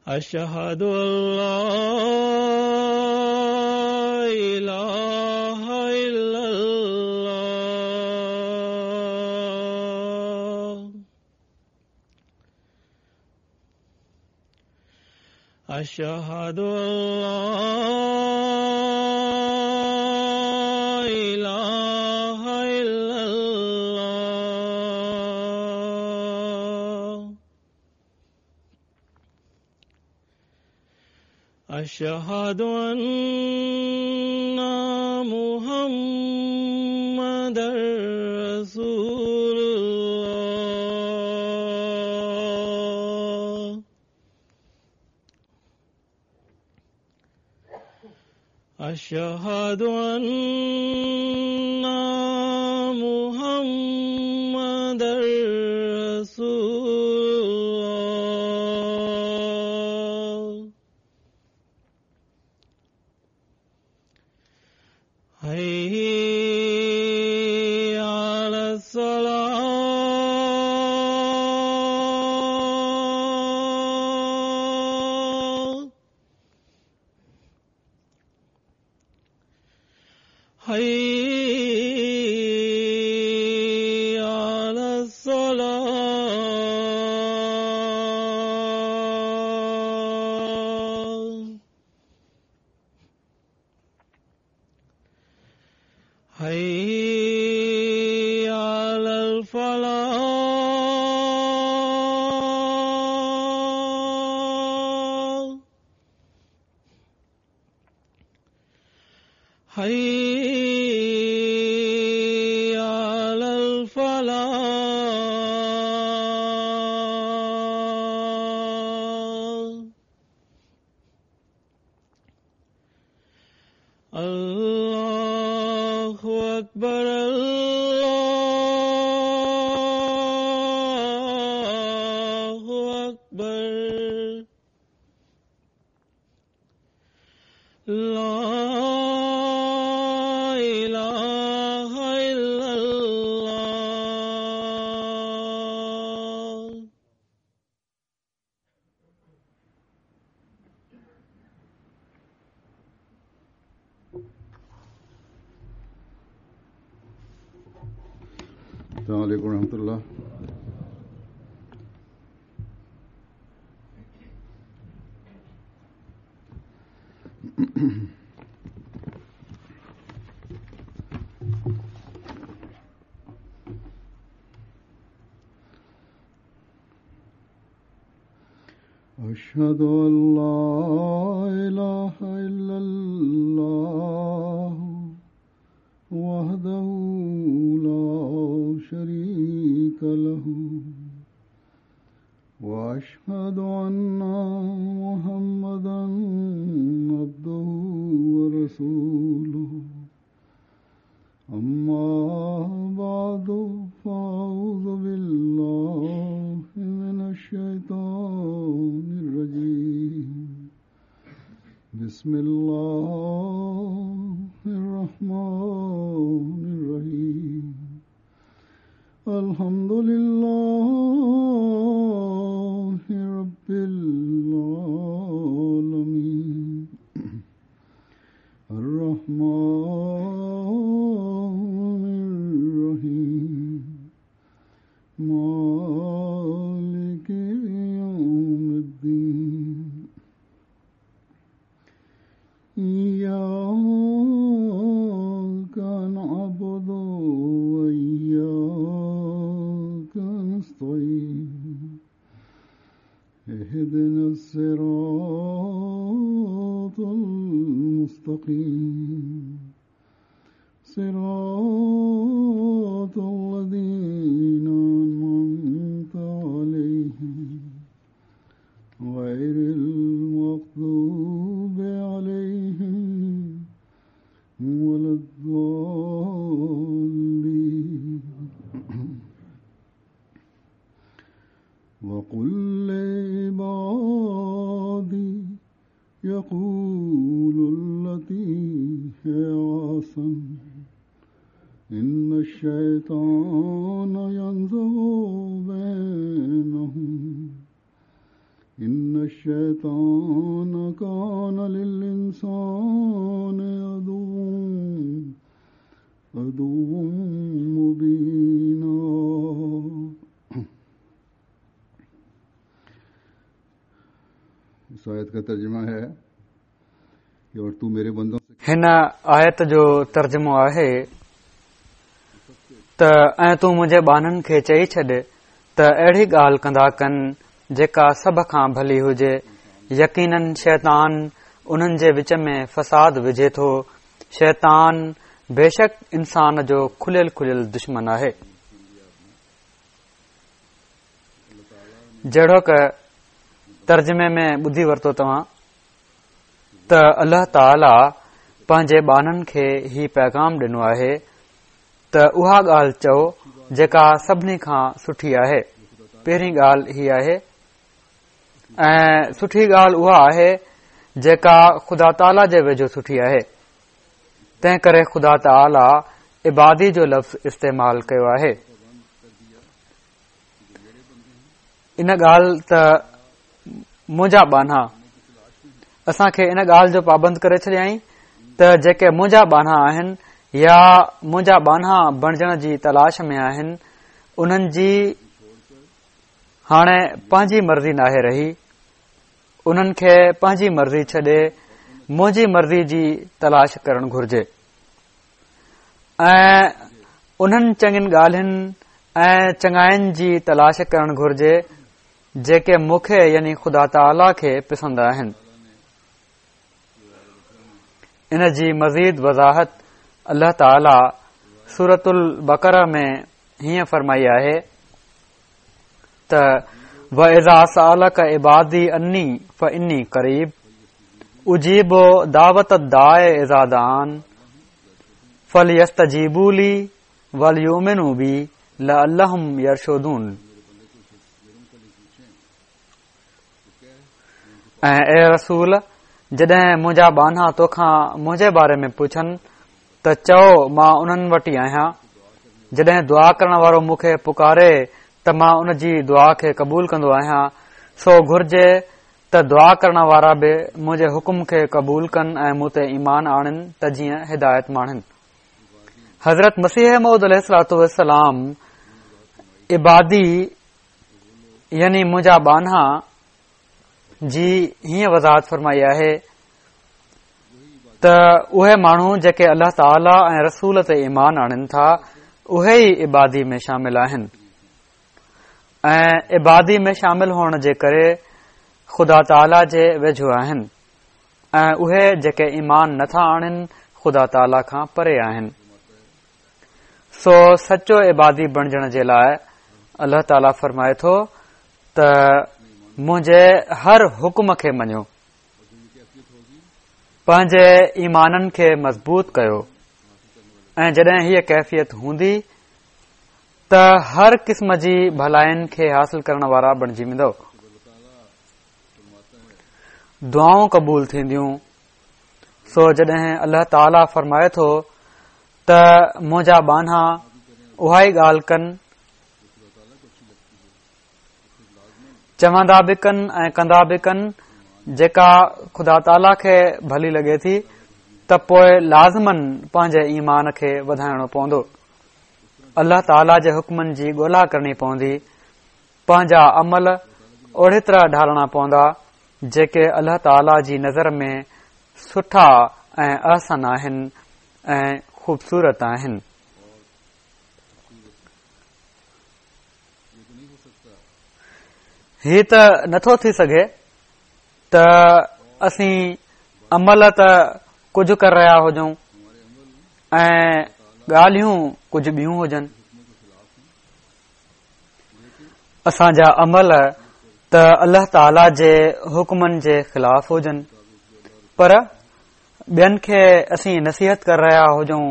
أشهد أن لا إله إلا الله أشهد أن لا إله إلا الله أشهد أن محمدا رسول الله أشهد أن محمدا رسول الله حي على الصلاة حي على الصلاة حي على الفلاح حي على الفلاح الله أكبر الله أكبر لا إله إلا الله. السلام عليكم ورحمة الله. أشهد أن لا إله إلا الله وحده لا شريك له وأشهد أن محمدا عبده ورسوله. أما بعد فأعوذ بالله من الشيطان الرجيم. بسم الله الرحمن الرحيم. الحمد لله رب العالمين الرحمن الرحيم مالك يوم الدين. إياك نعبد وإياك نستعين. المستقيم صراط الذين أنعمت عليهم غير المغضوب عليهم ولا الضالين. وقل لعبادي يقولوا التي هي أحسن إن الشيطان ينزغ بينهم إن الشيطان كان للإنسان عدوا مبينا. इस आयत का तर्जुमा है कि और तू मेरे बंदों से هن آيت جو ترجمو آهي ته ۽ تون منهنجي ٻانهن کي چئي ڇڏ ته اهڙي ڳالهه ڪندا ڪن جيڪا سڀ کان ڀلي هجي. يقيناً شيطان انهن جي وچ ۾ فساد وجهي ٿو. شيطان بيشڪ انسان جو کليل کليل دشمن آهي. جهڙوڪ ترجمي ۾ ٻڌي ورتو توهان ته الله تعاليٰ پنهنجي ٻانهن کي هي پيغام ڏنو آهي ته اها ڳالهه چئو جيڪا سڀني کان سٺي آهي. پهرين ڳالهه هي آهي ۽ سٺي ڳالهه اها آهي جيڪا خدا تعاليٰ جي ويجهو سٺي آهي. تنهن ڪري خدا تعاليٰ عبادي جو لفظ استعمال ڪيو آهي. ان ڳالهه ته منهنجا ٻانها اسان کي ان ڳالهه جو پابند ڪري ڇڏيائين ته جيڪي منهنجا ٻانها آهن يا منهنجا ٻانها بڻجڻ جي تلاش ۾ آهن انهن جي هاڻي پنهنجي مرضي ناهي رهي. انهن کي پنهنجي مرضي ڇڏي منهنجي مرضي جي تلاش ڪرڻ گهرجي ۽ انهن چڱين ڳالهين ۽ چڱاين جي تلاش ڪرڻ گهرجي جيڪي مون کي يعني خدا تعاليٰ کي پسند آهن. ان جي مزيد وضاحت الله تعاليٰ سورة البقره ۾ هيئن فرمائي آهي ته وَإِذَا سَأَلَكَ عِبَادِي عَنِّي فَإِنِّي قَرِيبٌ أُجِيبُ دَعْوَةَ الدَّاعِ إِذَا دَعَانِ فَلْيَسْتَجِيبُوا لِي وَلْيُؤْمِنُوا بِي لَعَلَّهُمْ يَرْشُدُونَ. ۽ اي رسول جڏهن منهنجا ٻانها توکان منهنجي باري ۾ پڇن ته چئو مان انهن وٽ ئي آهيان. جڏهن دعا ڪرڻ وارو مون کي پڪاري ته مان ان جي دعا کي قبول ڪندو آهيان. سو گهرجي ته دعا ڪرڻ وارا به منهنجي حڪم کي قبول ڪن ۽ مون تي ايمان آڻين ته جيئن هدايت ماڻين. حضرت مسيح موعود عليه الصلوة والسلام عبادي يعني منهنجا ٻانها جي هيئن وضاحت فرمائي آهي ته اهي ماڻهو جيڪي الله تعاليٰ ۽ رسول تي ايمان آڻين ٿا اهي ئي عبادي ۾ شامل آهن ۽ عبادي ۾ شامل هئڻ جي ڪري خدا تعاليٰ جي ويجهو آهن ۽ اهي جيڪي ايمان نٿا آڻين خدا تعاليٰ کان پري آهن. سو سچو عبادي بڻجڻ جي لاء الله تعاليٰ فرمائي ٿو ته منهنجي هر حڪم کي مڃو، پنهنجي ايمانن کي مضبوط ڪيو ۽ جڏهن هيء ڪيفيت هوندي ته هر قسم جي ڀلائين کي حاصل ڪرڻ وارا بڻجي ويندؤ، دعائون قبول ٿينديون. سو جڏهن الله تعاليٰ فرمائي ٿو ته منهنجا ٻانها اها ئي ڳالهه ڪن، چوندا به ڪن ۽ ڪندا به ڪن جيڪا خدا تعاليٰ کي ڀلي لڳي ٿي ته پوء لازماً پنهنجي ايمان کي وڌائڻو پوندو. الله تعاليٰ جي حڪمن جي ڳولا ڪرڻي پوندي، پنهنجا عمل اهڙي طرح ڍالڻا پوندا جيڪي الله تعاليٰ جي نظر ۾ سٺا ۽ احسن آهن ۽ خوبصورت آهن. هي ته نٿو ٿي سگهي ته اسين عمل ته ڪجهه ڪري رهيا هجون ۽ ڳالهيون ڪجهه ٻيون هجن. اسان جا عمل ته الله تعاليٰ جي حڪمن جي خلاف هجن پر ٻين کي اسين نصيحت ڪري رهيا هجون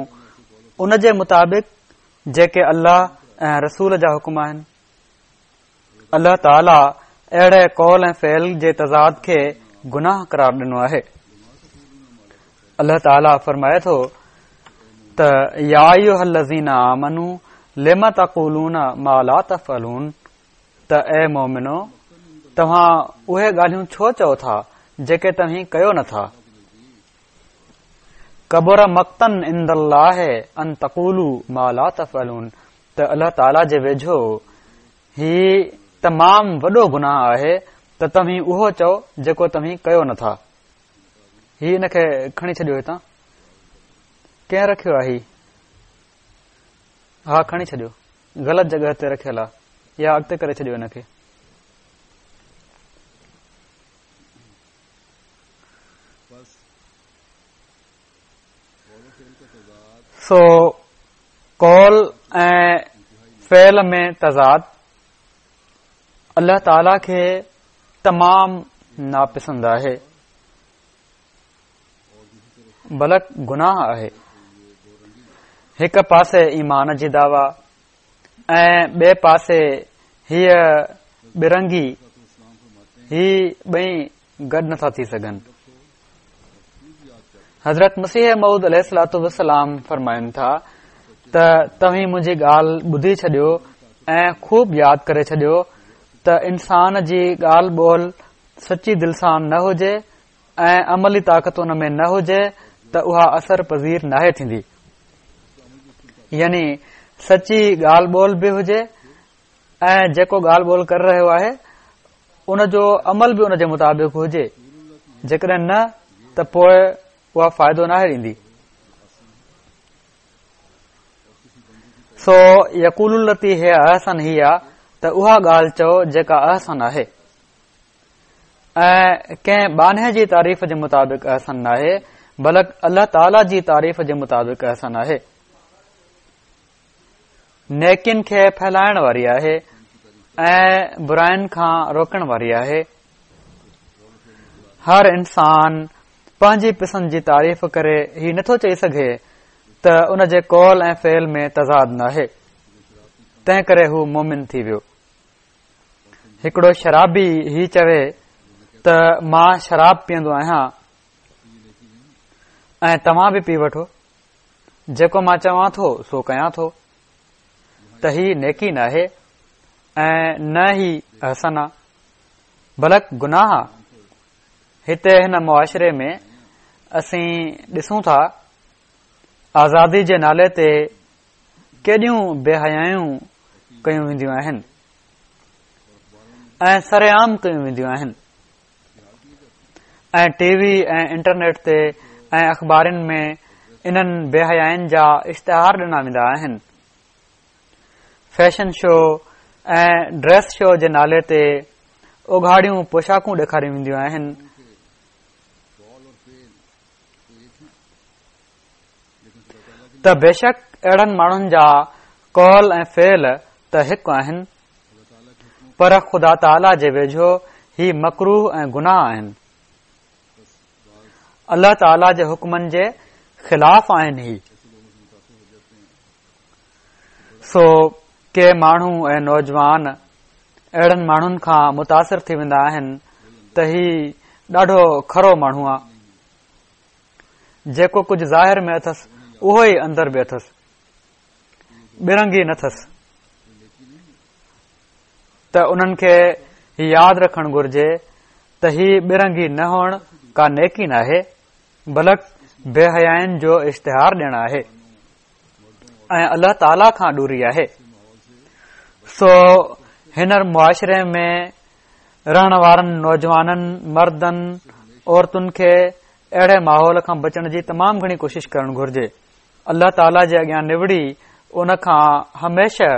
ان جي مطابق جيڪي الله ۽ رسول جا حڪم آهن. الله تعاليٰ اهڙي قول ۽ فعل جي تضاد کي گناهه قرار ڏنو آهي. الله تعاليٰ فرمائي ٿو ته يا ايها الذين آمنوا لم تقولون ما لا تفعلون ته اي مومنو توهان اهي ڳالهيون ڇو چئو ٿا جيڪي توهين ڪيو نٿا؟ ڪبر مقتا عند الله ان تقولوا ما لا تفعلون ته الله تعاليٰ جي ويجهو هي تمام وڏو گناهه آهي ته توهين اهو چئو جيڪو توهين ڪيو نٿا. هي ان کي کڻي ڇڏيو هتان. ڪنهن رکيو آهي هي؟ ها کڻي ڇڏيو. غلط جڳهه تي رکيل آهي. يا اڳتي ڪري ڇڏيو ان کي. سو قول ۽ فعل ۾ تضاد الله تعاليٰ کي تمام ناپسند آهي بلڪ گناهه آهي. هڪ پاسي ايمان جي دعويٰ ۽ ٻئي پاسي هيء ٻرنگي، هي ٻئي گڏ نٿا ٿي سگهن. حضرت مسيح موعود عليه الصلوة والسلام فرمائن ٿا ته توهين منهنجي ڳالهه ٻڌي ڇڏيو ۽ خوب ياد ڪري ڇڏيو ته انسان جي ڳالهه ٻولهه سچي دل سان نه هجي ۽ عملي طاقت ان ۾ نه هجي ته اها اثر پذير ناهي ٿيندي. يعني سچي ڳالهه ٻولهه به هجي ۽ جيڪو ڳالهه ٻولهه ڪري رهيو آهي ان جو عمل به ان جي مطابق هجي جيڪڏهن نه ته پوء اها فائدو ناهي ڏيندي. سو يقولوا التي هي احسن هي آ ته اها ڳالهه چئو جيڪا احسن آهي ۽ ڪنهن ٻانهي جي تعريف جي مطابق احسن ناهي بلڪ الله تعالي جي تعريف جي مطابق احسن آهي. نيڪين کي ڦهلائڻ واري آهي ۽ براين کان روڪڻ واري آهي. هر انسان پنهنجي پسند جي تعريف ڪري هي نٿو چئي سگهي ته ان جي قول ۽ فعل ۾ تضاد ناهي تنهن ڪري هو مومن ٿي ويو. هڪڙو شرابي هي چوي ته مان شراب پيئندو آهيان ۽ توهان به پي وٺو جيڪو مان چوان ٿو سو ڪيان ٿو ته هي نيڪي ناهي ۽ نه هي احسن آ بلڪ گناهه آ. هتي هن معاشري ۾ اسين ڏسون ٿا آزادي جي نالي تي ڪيڏيون بي حيايون ڪيون وينديون آهن ۽ سرعام ڪيون وينديون آهن ۽ ٽي وي ۽ انٽرنيٽ تي ۽ اخبارن ۾ انهن بي حيائين جا اشتهار ڏنا ويندا آهن. فيشن شو ۽ ڊريس شو جي نالي تي اگهاڙيون پوشاڪون ڏيکاريون وينديون آهن. ته بيشڪ اهڙن ماڻهن جا قول ۽ فعل ته هڪ آهن پر خدا تعاليٰ جي ويجهو هي مڪروه ۽ گناهه آهن. الله تعاليٰ جي حڪمن جي خلاف آهن هي. سو ڪي ماڻهو ۽ نوجوان اهڙن ماڻهن کان متاثر ٿي ويندا آهن ته هي ڏاڍو کرو ماڻهو آ. جيڪو ڪجهه ظاهر ۾ اٿس اهو ئي اندر به اٿس، ٻرنگي نه اٿس ته انهن کي هي ياد رکڻ گهرجي ته هي ٻرنگي نه هئڻ ڪا نيڪي ناهي بلڪ بي حيائين جو اشتهار ڏيڻ آهي ۽ الله تعاليٰ کان ڏوري آهي. سو هن معاشري ۾ رهڻ وارن نوجوانن، مردن، عورتن کي اهڙي ماحول کان بچڻ جي تمام گهڻي ڪوشش ڪرڻ گهرجي. الله تعاليٰ جي اڳيان نوڙي ان کان هميشه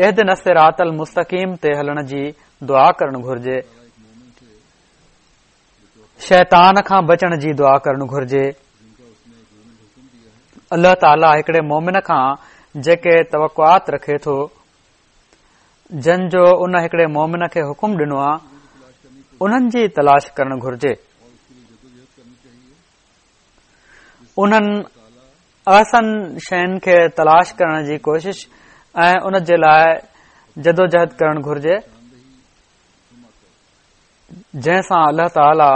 اهدنا الصراط المستقيم تي هلڻ جي دعا ڪرڻ گهرجي. شيطان کان بچڻ جي دعا ڪرڻ گهرجي. الله تعاليٰ هڪڙي مومن کان جيڪي توقعات رکي ٿو، جن جو ان هڪڙي مومن کي حڪم ڏنو آ، انهن جي تلاش ڪرڻ گهرجي. انهن احسن شين کي تلاش ڪرڻ جي ڪوشش ۽ ان جي لاء جدوجهد ڪرڻ گهرجي. جنهن سان الله تعاليٰ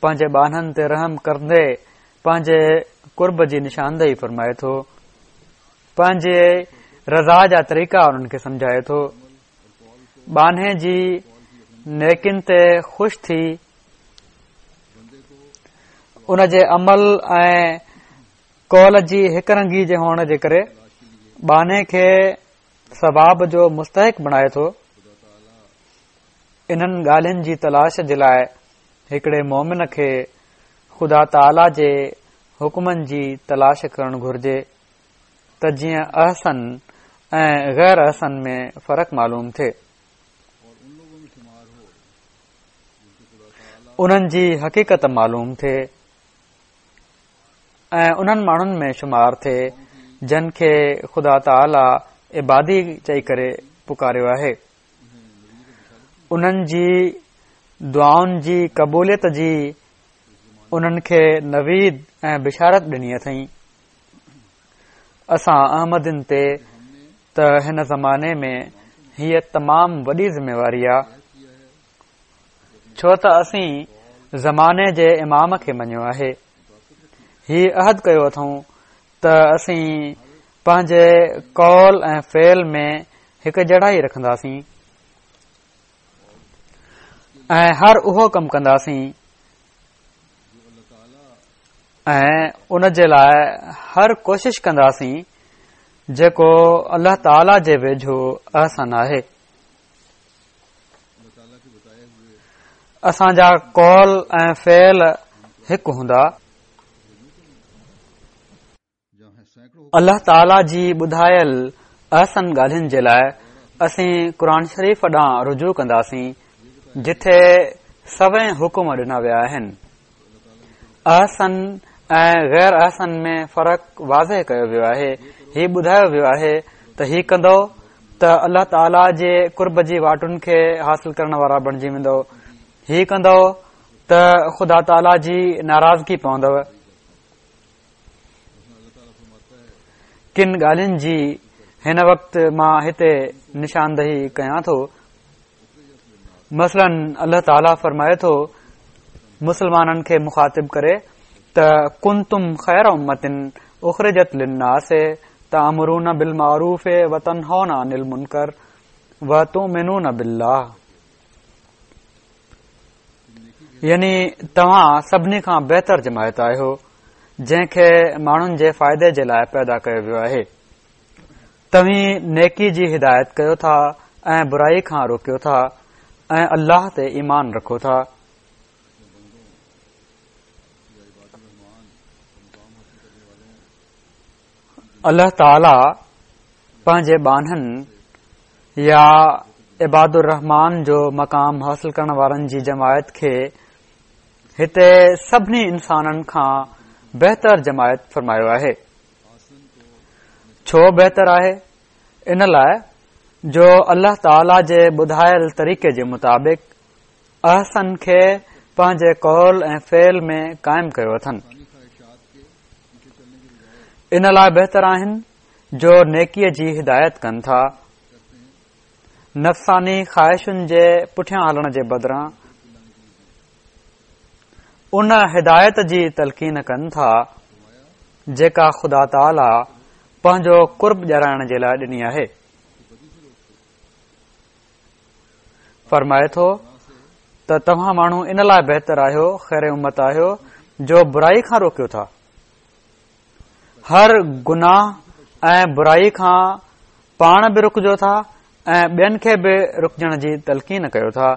پنهنجي ٻانهن تي رحم ڪندي پنهنجي قرب جي نشاندهي فرمائي ٿو، پنهنجي رضا جا طريقا انهن کي سمجهائي ٿو، ٻانهي جي نيڪين تي خوش ٿي ان جي عمل ۽ قول جي هڪ رنگي جي هئڻ جي ڪري ٻانهي کي ثواب جو مستحق بڻائي ٿو. انهن ڳالهين جي تلاش جي لاء هڪڙي مؤمن کي خدا تعاليٰ جي حڪمن جي تلاش ڪرڻ گهرجي ته جيئن احسن ۽ غير احسن ۾ فرق معلوم ٿئي. انهن جي حقيقت معلوم ٿئي ۽ انهن ماڻهن ۾ شمار ٿئي جن کي خدا تعاليٰ عبادي چئي ڪري پڪاريو آهي. انهن جي دعائن جي قبوليت جي انهن کي نويد ۽ بشارت ڏني اٿئين. اسان احمدين تي ته هن زماني ۾ هيء تمام وڏي ذميواري آ، ڇو ته اسين زماني جي امام کي مڃيو آهي. هي عهد ڪيو اٿئون ته اسين پنهنجي قول ۽ فعل ۾ هڪ جهڙائي رکنداسين ۽ هر اهو ڪم ڪنداسين ۽ ان جي لاء هر ڪوشش ڪنداسين جيڪو الله تعاليٰ جي ويجهو احسن آهي. اسان جا قول ۽ فعل هڪ هوندا. الله تعاليٰ جي ٻڌايل احسن ڳالهين جي لاء اسين قرآن شريف ڏانهن رجوع ڪنداسين جتي سوين حڪم ڏنا ويا آهن. احسن ۽ غير احسن ۾ فرق واضح ڪيو ويو آهي. هي ٻڌايو ويو آهي ته هي ڪندؤ ته الله تعاليٰ جي قرب جي واٽن کي حاصل ڪرڻ وارا بڻجي ويندؤ. هي ڪندؤ ته خدا تعاليٰ جي ناراضگي پوندؤ. ڪن ڳالهين جي هن وقت مان هتي نشاندهي ڪيان ٿو. مثلاً الله تعاليٰ فرمائي ٿو مسلمانن کي مخاطب ڪري ته ڪنتم خير امة اخرجت للناس تامرون بالمعروف وتنهون عن المنڪر وتؤمنون بالله يعني توهان سڀني کان بهتر جماعت آهيو جنهن کي ماڻهن جي فائدي جي لاء پيدا ڪيو ويو آهي توهين نيڪي جي هدايت ڪيو ٿا ۽ برائي کان روڪيو ٿا ۽ الله تي ايمان رکو ٿا. الله تعاليٰ پنهنجي ٻانهن يا عباد الرحمان جو مقام حاصل ڪرڻ وارن جي جماعت کي هتي سڀني انسانن کان بهتر جماعت فرمايو آهي. ڇو بهتر آهي؟ ان لاء جو الله تعاليٰ جي ٻڌايل طريقي جي مطابق احسن کي پنهنجي قول ۽ فعل ۾ قائم ڪيو اٿن. ان لاء بهتر آهن جو نيڪيء جي هدايت ڪن ٿا. نفساني خواهشن جي پٺيان هلڻ جي بدران ان هدايت جي تلقين ڪن ٿا جيڪا خدا تعاليٰ پنهنجو قرب ڏيارائڻ جي لاء ڏني آهي. فرمائي ٿو ته توهان ماڻهو ان لاء بهتر آهيو، خير امت آهيو، جو برائي کان روڪيو ٿا. هر گناهه ۽ برائي کان پاڻ به رڪجو ٿا ۽ ٻين کي به رڪجڻ جي تلقين ڪيو ٿا.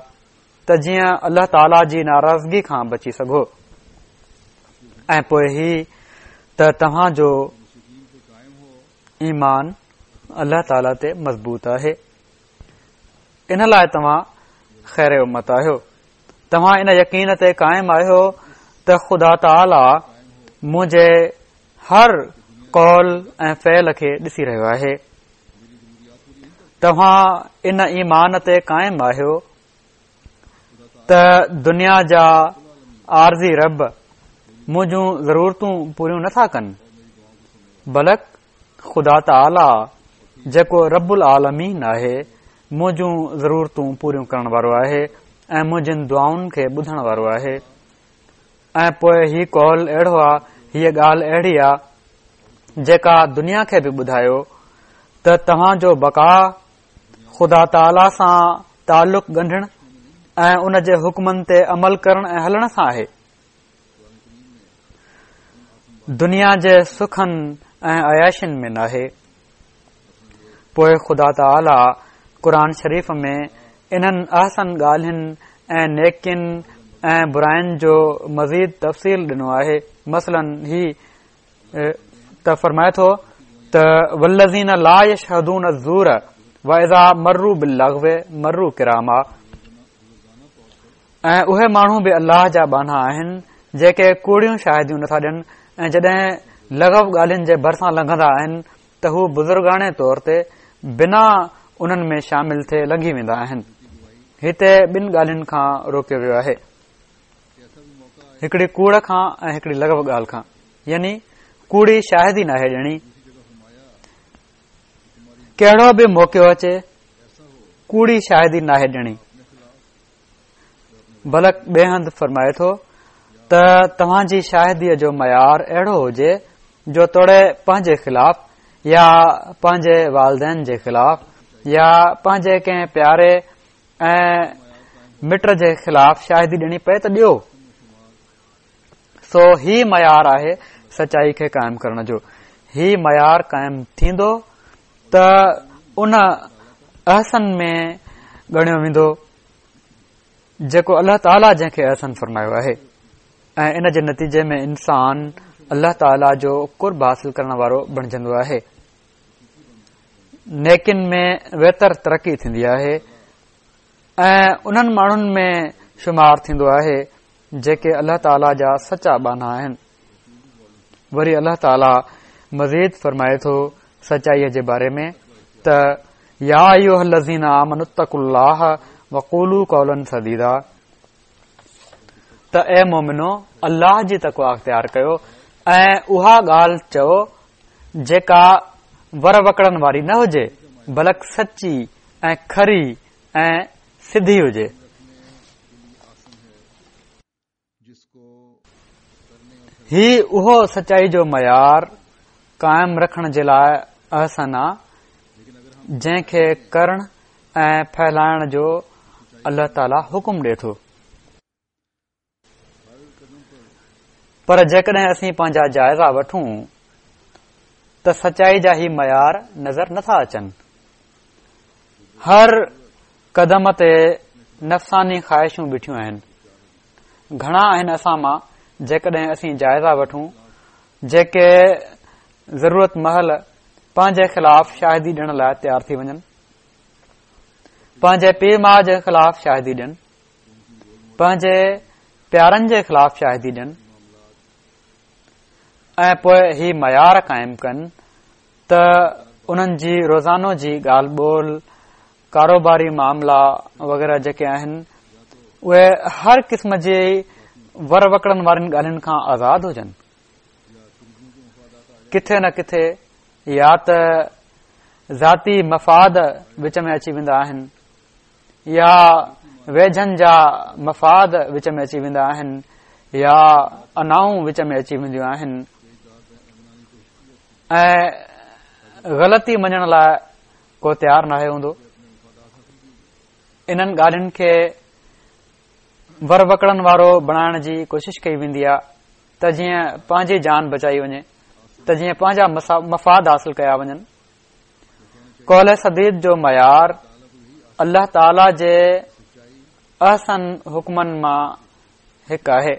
ته جيئن الله تعاليٰ جي ناراضگي کان بچي سگهو ۽ پوء هي ته توهان جو ايمان الله تعاليٰ تي مضبوط آهي ان لاء توهان خير امت آهيو توهان ان يقين تي قائم آهيو ته خدا تعاليٰ منهنجي هر قول ۽ فعل کي ڏسي رهيو آهي. توهان ان ايمان تي قائم آهيو ته دنيا جا عارضي رب منهنجون ضرورتون پوريون نٿا ڪن، بلڪ خدا تعاليٰ جيڪو رب العالمين آهي، منهنجون ضرورتون پوريون ڪرڻ وارو آهي ۽ منهنجين دعائن کي ٻڌڻ وارو آهي. ۽ پوء هي قول اهڙو آ، هيء ڳالهه اهڙي آ، جيڪا دنيا کي به ٻڌايو ته توهان جو بقا خدا تعاليٰ سان تعلق ڳنڍڻ ۽ ان جي حڪمن تي عمل ڪرڻ ۽ هلڻ سان آهي. دنيا جي سکن ۽ عياشين ۾ ناهي. پوء خدا تعاليٰ قرآن شريف ۾ انهن احسن ڳالهين ۽ نيڪين ۽ براين جو مزيد تفصيل ڏنو آهي. مثلاً هي ته فرمائي ٿو ته والذين لا يشهدون الزور واذا مروا باللغو مروا ڪراما ۽ اهي ماڻهو به الله جا ٻانها آهن جيڪي ڪوڙيون شاهديون نٿا ڏين ۽ جڏهن لغو ڳالهين جي ڀرسان لنگهندا آهن ته هو بزرگاڻي طور تي بنا انهن ۾ شامل ٿئي لنگهي ويندا آهن. هتي ٻن ڳالهين کان روڪيو ويو آهي. هڪڙي ڪوڙ کان ۽ هڪڙي لغو ڳالهه کان يعني ڪوڙي شاهدي ناهي ڏيڻي. ڪهڙو به موقعو اچي ڪوڙي شاهدي ناهي ڏيڻي. بلڪ ٻئي هنڌ فرمائي ٿو ته توهان جي شاهديء جو معيار اهڙو هجي جو توڙي پنهنجي خلاف يا پنهنجي والدين جي خلاف يا پنهنجي ڪنهن پياري ۽ مٽ جي خلاف شاهدي ڏيڻي پئي ته ڏيو. سو هي معيار آهي سچائي کي قائم ڪرڻ جو. هي معيار قائم ٿيندو ته ان احسن ۾ ڳڻيو ويندو جيڪو الله تعاليٰ جنهن کي احسن فرمايو آهي ۽ ان جي نتيجي ۾ انسان الله تعاليٰ جو قرب حاصل ڪرڻ وارو بڻجندو آهي. نيڪين ۾ ويتر ترقي ٿيندي آهي ۽ انهن ماڻهن ۾ شمار ٿيندو آهي جيڪي الله تعاليٰ جا سچا ٻانها آهن. وري الله تعاليٰ مزيد فرمائي ٿو سچائيء جي باري ۾ ته يا ايها الذين آمنوا اتقوا الله وقولوا قولا سديدا ته اي مومنو الله جي تقويٰ اختيار ڪيو ۽ اها ڳالهه چئو جيڪا ور وڪڙن واري نه هجي بلڪ سچي ۽ کري ۽ سڌي هجي. هي اهو سچائي جو معيار قائم رکڻ جي لاء احسن آ جنهن کي ڪرڻ ۽ ڦهلائڻ جو الله تعالي حڪم ڏي ٿو. پر جيڪڏهن اسين پنهنجا جائزا وٺون ته سچائي جا هي معيار نظر نٿا اچن. هر قدم تي نفساني خواهشون بيٺيون آهن. گهڻا آهن اسان مان جيڪڏهن اسين جائزا وٺون جيڪي ضرورت مهل پنهنجي خلاف شاهدي ڏيڻ لاء تيار ٿي وڃن، پنهنجي پيء ماء جي خلاف شاهدي ڏين، پنهنجي پيارن جي خلاف شاهدي ڏين ۽ پوء هي معيار قائم ڪن ته انهن جي روزانو جي ڳالهه ٻولهه، ڪاروباري معاملا وغيره جيڪي آهن اهي هر قسم جي ور وڪڙن وارين ڳالهين کان آزاد هجن. ڪٿي نه ڪٿي يا ته ذاتي مفاد وچ ۾ اچي ويندا آهن يا ويجهن جا مفاد وچ ۾ اچي ويندا آهن يا انائون وچ ۾ اچي وينديون آهن ۽ غلطي مڃڻ لاء ڪو تيار ناهي هوندو. انهن ڳالهين کي ور وڪڙن وارو بڻائڻ جي ڪوشش ڪئي ويندي آهي ته جيئن پنهنجي جان بچائي وڃي ته جيئن پنهنجا مفاد حاصل ڪيا وڃن. قول سديد جو معيار الله تعاليٰ جي احسن حڪمن مان هڪ آهي.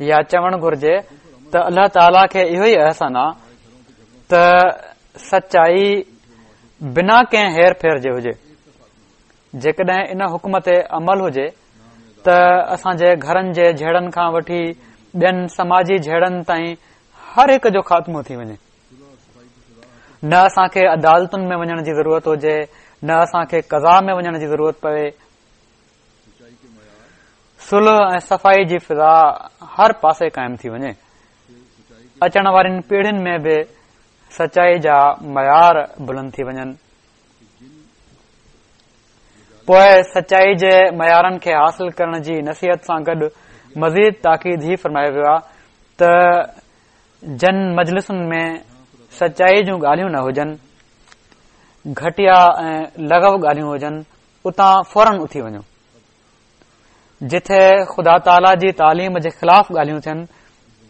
يا چوڻ گهرجي ته الله تعاليٰ کي اهو ئي احسن آ ته سچائي بنا ڪنهن هير ڦير جي هجي. جيڪڏهن ان حڪم تي عمل هجي ته اسان جي گهرن جي جهيڙن کان وٺي ٻين سماجي جهيڙن تائين هر هڪ جو خاتمو ٿي وڃي. نه اسان کي عدالتن ۾ وڃڻ جي ضرورت هجي، نه اسان کي قضا ۾ وڃڻ جي ضرورت پوي. صلح ۽ صفائي جي فضا هر پاسي قائم ٿي وڃي. اچڻ وارين پيڙهين ۾ به سچائي جا معيار بلند ٿي وڃن. پوء سچائي جي معيارن کي حاصل ڪرڻ جي نصيحت سان گڏ مزيد تاڪيد هي فرمايو ويو آهي ته جن مجلسن ۾ سچائي جون ڳالهيون نه هجن، گهٽيا ۽ لغو ڳالهيون هجن، اتان فورن اٿي وڃو. جتي خدا تعاليٰ جي تعليم جي خلاف ڳالهيون ٿين،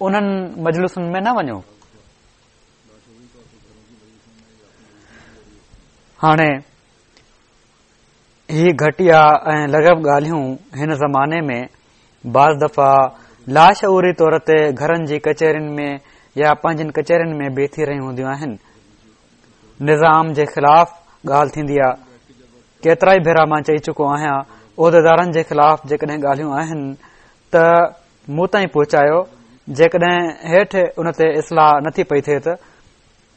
انهن مجلسن ۾ نه وڃو. هاڻي هي گهٽيا ۽ لغو ڳالهيون هن زماني ۾ بعض دفعا لاشعوري طور تي گهرن جي ڪچهرين ۾ يا پنهنجين ڪچهرين ۾ به ٿي رهيون هونديون آهن. نظام جي خلاف ڳالهه ٿيندي آ. ڪيترائي ڀيرا مان چئي چڪو آهيان عهديدارن جي خلاف جيڪڏهن ڳالهيون آهن ته مون تائين پهچايو جيڪڏهن هيٺ ان تي اصلاح نٿي پئي ٿئي ته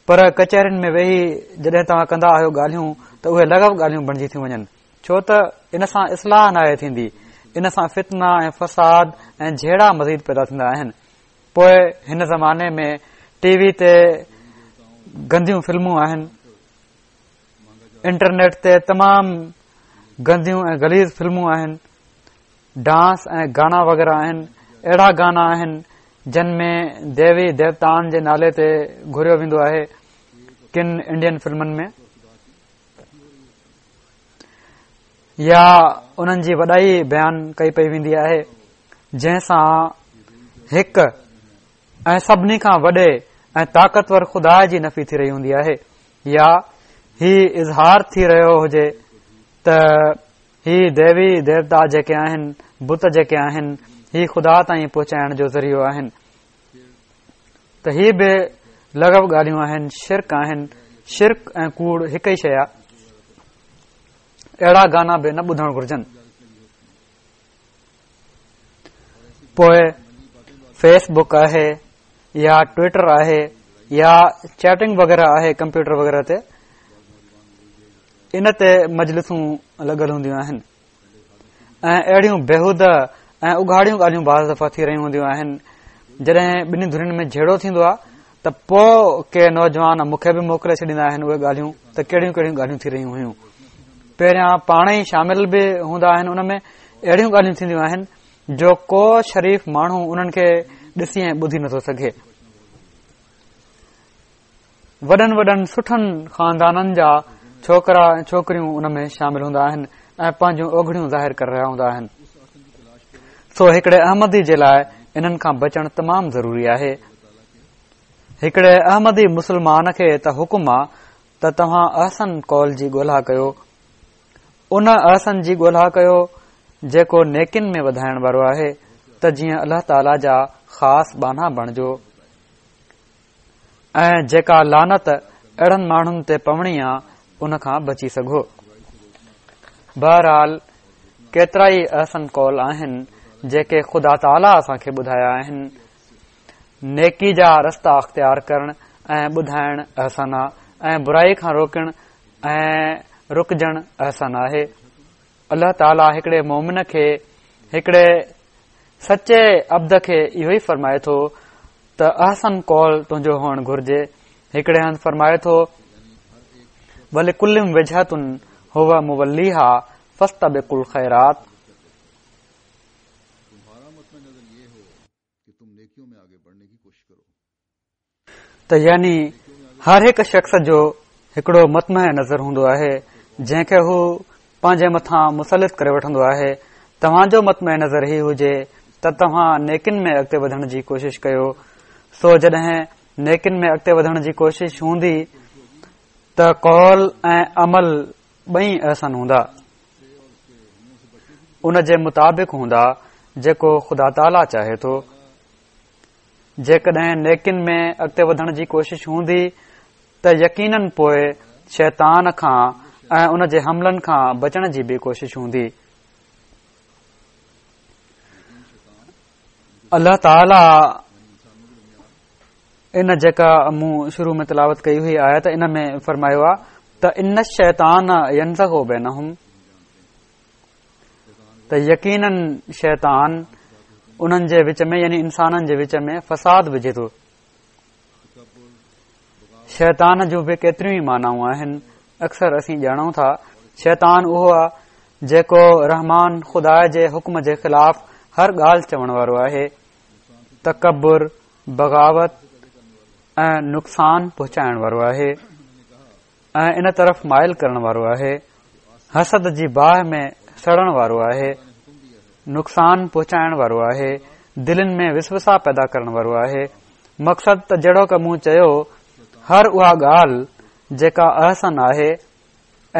پر ڪچهرين ۾ ويهي جڏهن توهان ڪندا آهيو ڳالهيون ته اهي لغو ڳالهيون بڻجي ٿيون وڃن ڇو ته ان سان اصلاح ناهي ٿيندي ان سان فتنا ۽ فساد ۽ جهيڙا مزيد پيدا ٿيندا آهن پوء هن زماني ۾ ٽي وي تي گنديون فلمون آهن انٽرنيٽ تي تمام گنديون ۽ غليظ فلمون آهن ڊانس ۽ گانا وغيره آهن اهڙا گانا آهن جن ۾ ديوي ديوتائن جي نالي تي گهوريو ويندو آهي ڪن انڊين فلمن ۾ يا انهن جي وڏائي بيان ڪئي پئي ويندي آهي جنهن سان هڪ ۽ سڀني کان وڏي ۽ طاقتور خدا جي نفي ٿي رهي هوندي آهي يا هي اظهار ٿي رهيو هجي ته هي ديوي ديوتا جيڪي آهن، بت جيڪي آهن، هي خدا تائين پهچائڻ جو ذريعو آهن ته هي به لغو ڳالهيون آهن، شرڪ آهن، شرڪ ۽ ڪوڙ هڪ ئي شيء آهي. اهڙا گانا به نه ٻڌڻ گهرجن. پوء فيس بڪ آهي يا ٽوئٽر آهي يا چيٽنگ وغيره آهي ڪمپيوٽر وغيره تي ان تي مجلسون لڳل هونديون آهن ۽ اهڙيون بيهوده ۽ اگهاڙيون ڳالهيون بعض دفعا ٿي رهيون هونديون آهن جڏهن ٻنهي ڌرين ۾ جهيڙو ٿيندو آهي ته پوء ڪي نوجوان مون کي به موڪلي ڇڏيندا آهن اهي ڳالهيون ته ڪهڙيون ڪهڙيون ڳالهيون ٿي رهيون هيون پهريان پاڻ ئي شامل به هوندا آهن ان ۾ اهڙيون ڳالهيون ٿينديون آهن جو ڪو شريف ماڻهو انهن کي ڏسي ۽ ٻڌي نٿو سگهي وڏن وڏن سٺن خاندانن جا ڇوڪرا ۽ ڇوڪريون ان ۾ شامل هوندا آهن ۽ پنهنجون اوگهڙيون ظاهر ڪري رهيا هوندا آهن سو هڪڙي احمدي جي لاء انهن کان بچڻ تمام ضروري آهي هڪڙي احمدي مسلمان کي ته حڪم آ ته توهان احسن قول جي ڳولها ڪيو ان احسن جي ڳولها ڪيو جيڪو نيڪين ۾ وڌائڻ وارو آهي ته جيئن الله تعاليٰ جا خاص ٻانها بڻجو ۽ جيڪا لعنت اهڙن ماڻهن تي پوڻي آ ان کان بچي سگهو. بهرحال ڪيترائي احسن قول آهن جيڪي خدا تعاليٰ اسان کي ٻڌايا آهن. نيڪي جا رستا اختيار ڪرڻ ۽ ٻڌائڻ احسن آ ۽ برائي کان روڪڻ ۽ رڪجڻ احسن آهي. الله تعاليٰ هڪڙي مومن کي هڪڙي سچي عبد کي اهو ئي فرمائي ٿو ته احسن قول تنهنجو هئڻ گهرجي هڪڙي هنڌ فرمائي ٿو ولڪل وجهة هو موليها فاستبقوا الخيرات ته يعني هر هڪ شخص جو هڪڙو مطمح نظر هوندو آهي جنهن کي هو پنهنجي مٿان مسلط ڪري وٺندو آهي توهان جو مطمح نظر هي هجي ته توهان نيڪين ۾ اڳتي وڌڻ جي ڪوشش ڪيو سو جڏهن نيڪين ۾ اڳتي وڌڻ جي ڪوشش هوندي ته قول ۽ عمل ٻئي احسن هوندا ان جي مطابق هوندا جيڪو خدا تعاليٰ چاهي ٿو جيڪڏهن نيڪين ۾ اڳتي وڌڻ جي ڪوشش هوندي ته يقينن پوء شيطان کان ۽ ان جي حملن کان بچڻ جي به ڪوشش هوندي. الله تعاليٰ ان جيڪا مون شروع ۾ تلاوت ڪئي هئي آيت ان ۾ فرمايو آ ته ان الشيطان ينزغ بينهم ته يقيناً شيطان انهن جي وچ ۾ يعني انسانن جي وچ ۾ فساد وجهي ٿو. شيطان جون به ڪيتريون ئي معنائون آهن اڪثر اسين ڄاڻون ٿا شيطان اهو آ جيڪو رحمان خدا جي حڪم جي خلاف هر ڳالهه چوڻ وارو آهي تڪبر بغاوت ۽ نقصان پهچائڻ وارو آهي ۽ ان طرف مائل ڪرڻ وارو آهي، حسد جي باهه ۾ سڙڻ وارو آهي، نقصان پهچائڻ وارو آهي، دلين ۾ وسوسا پيدا ڪرڻ وارو آهي. مقصد ته جهڙوڪ مون چيو هر اها ڳالهه جيڪا احسن آهي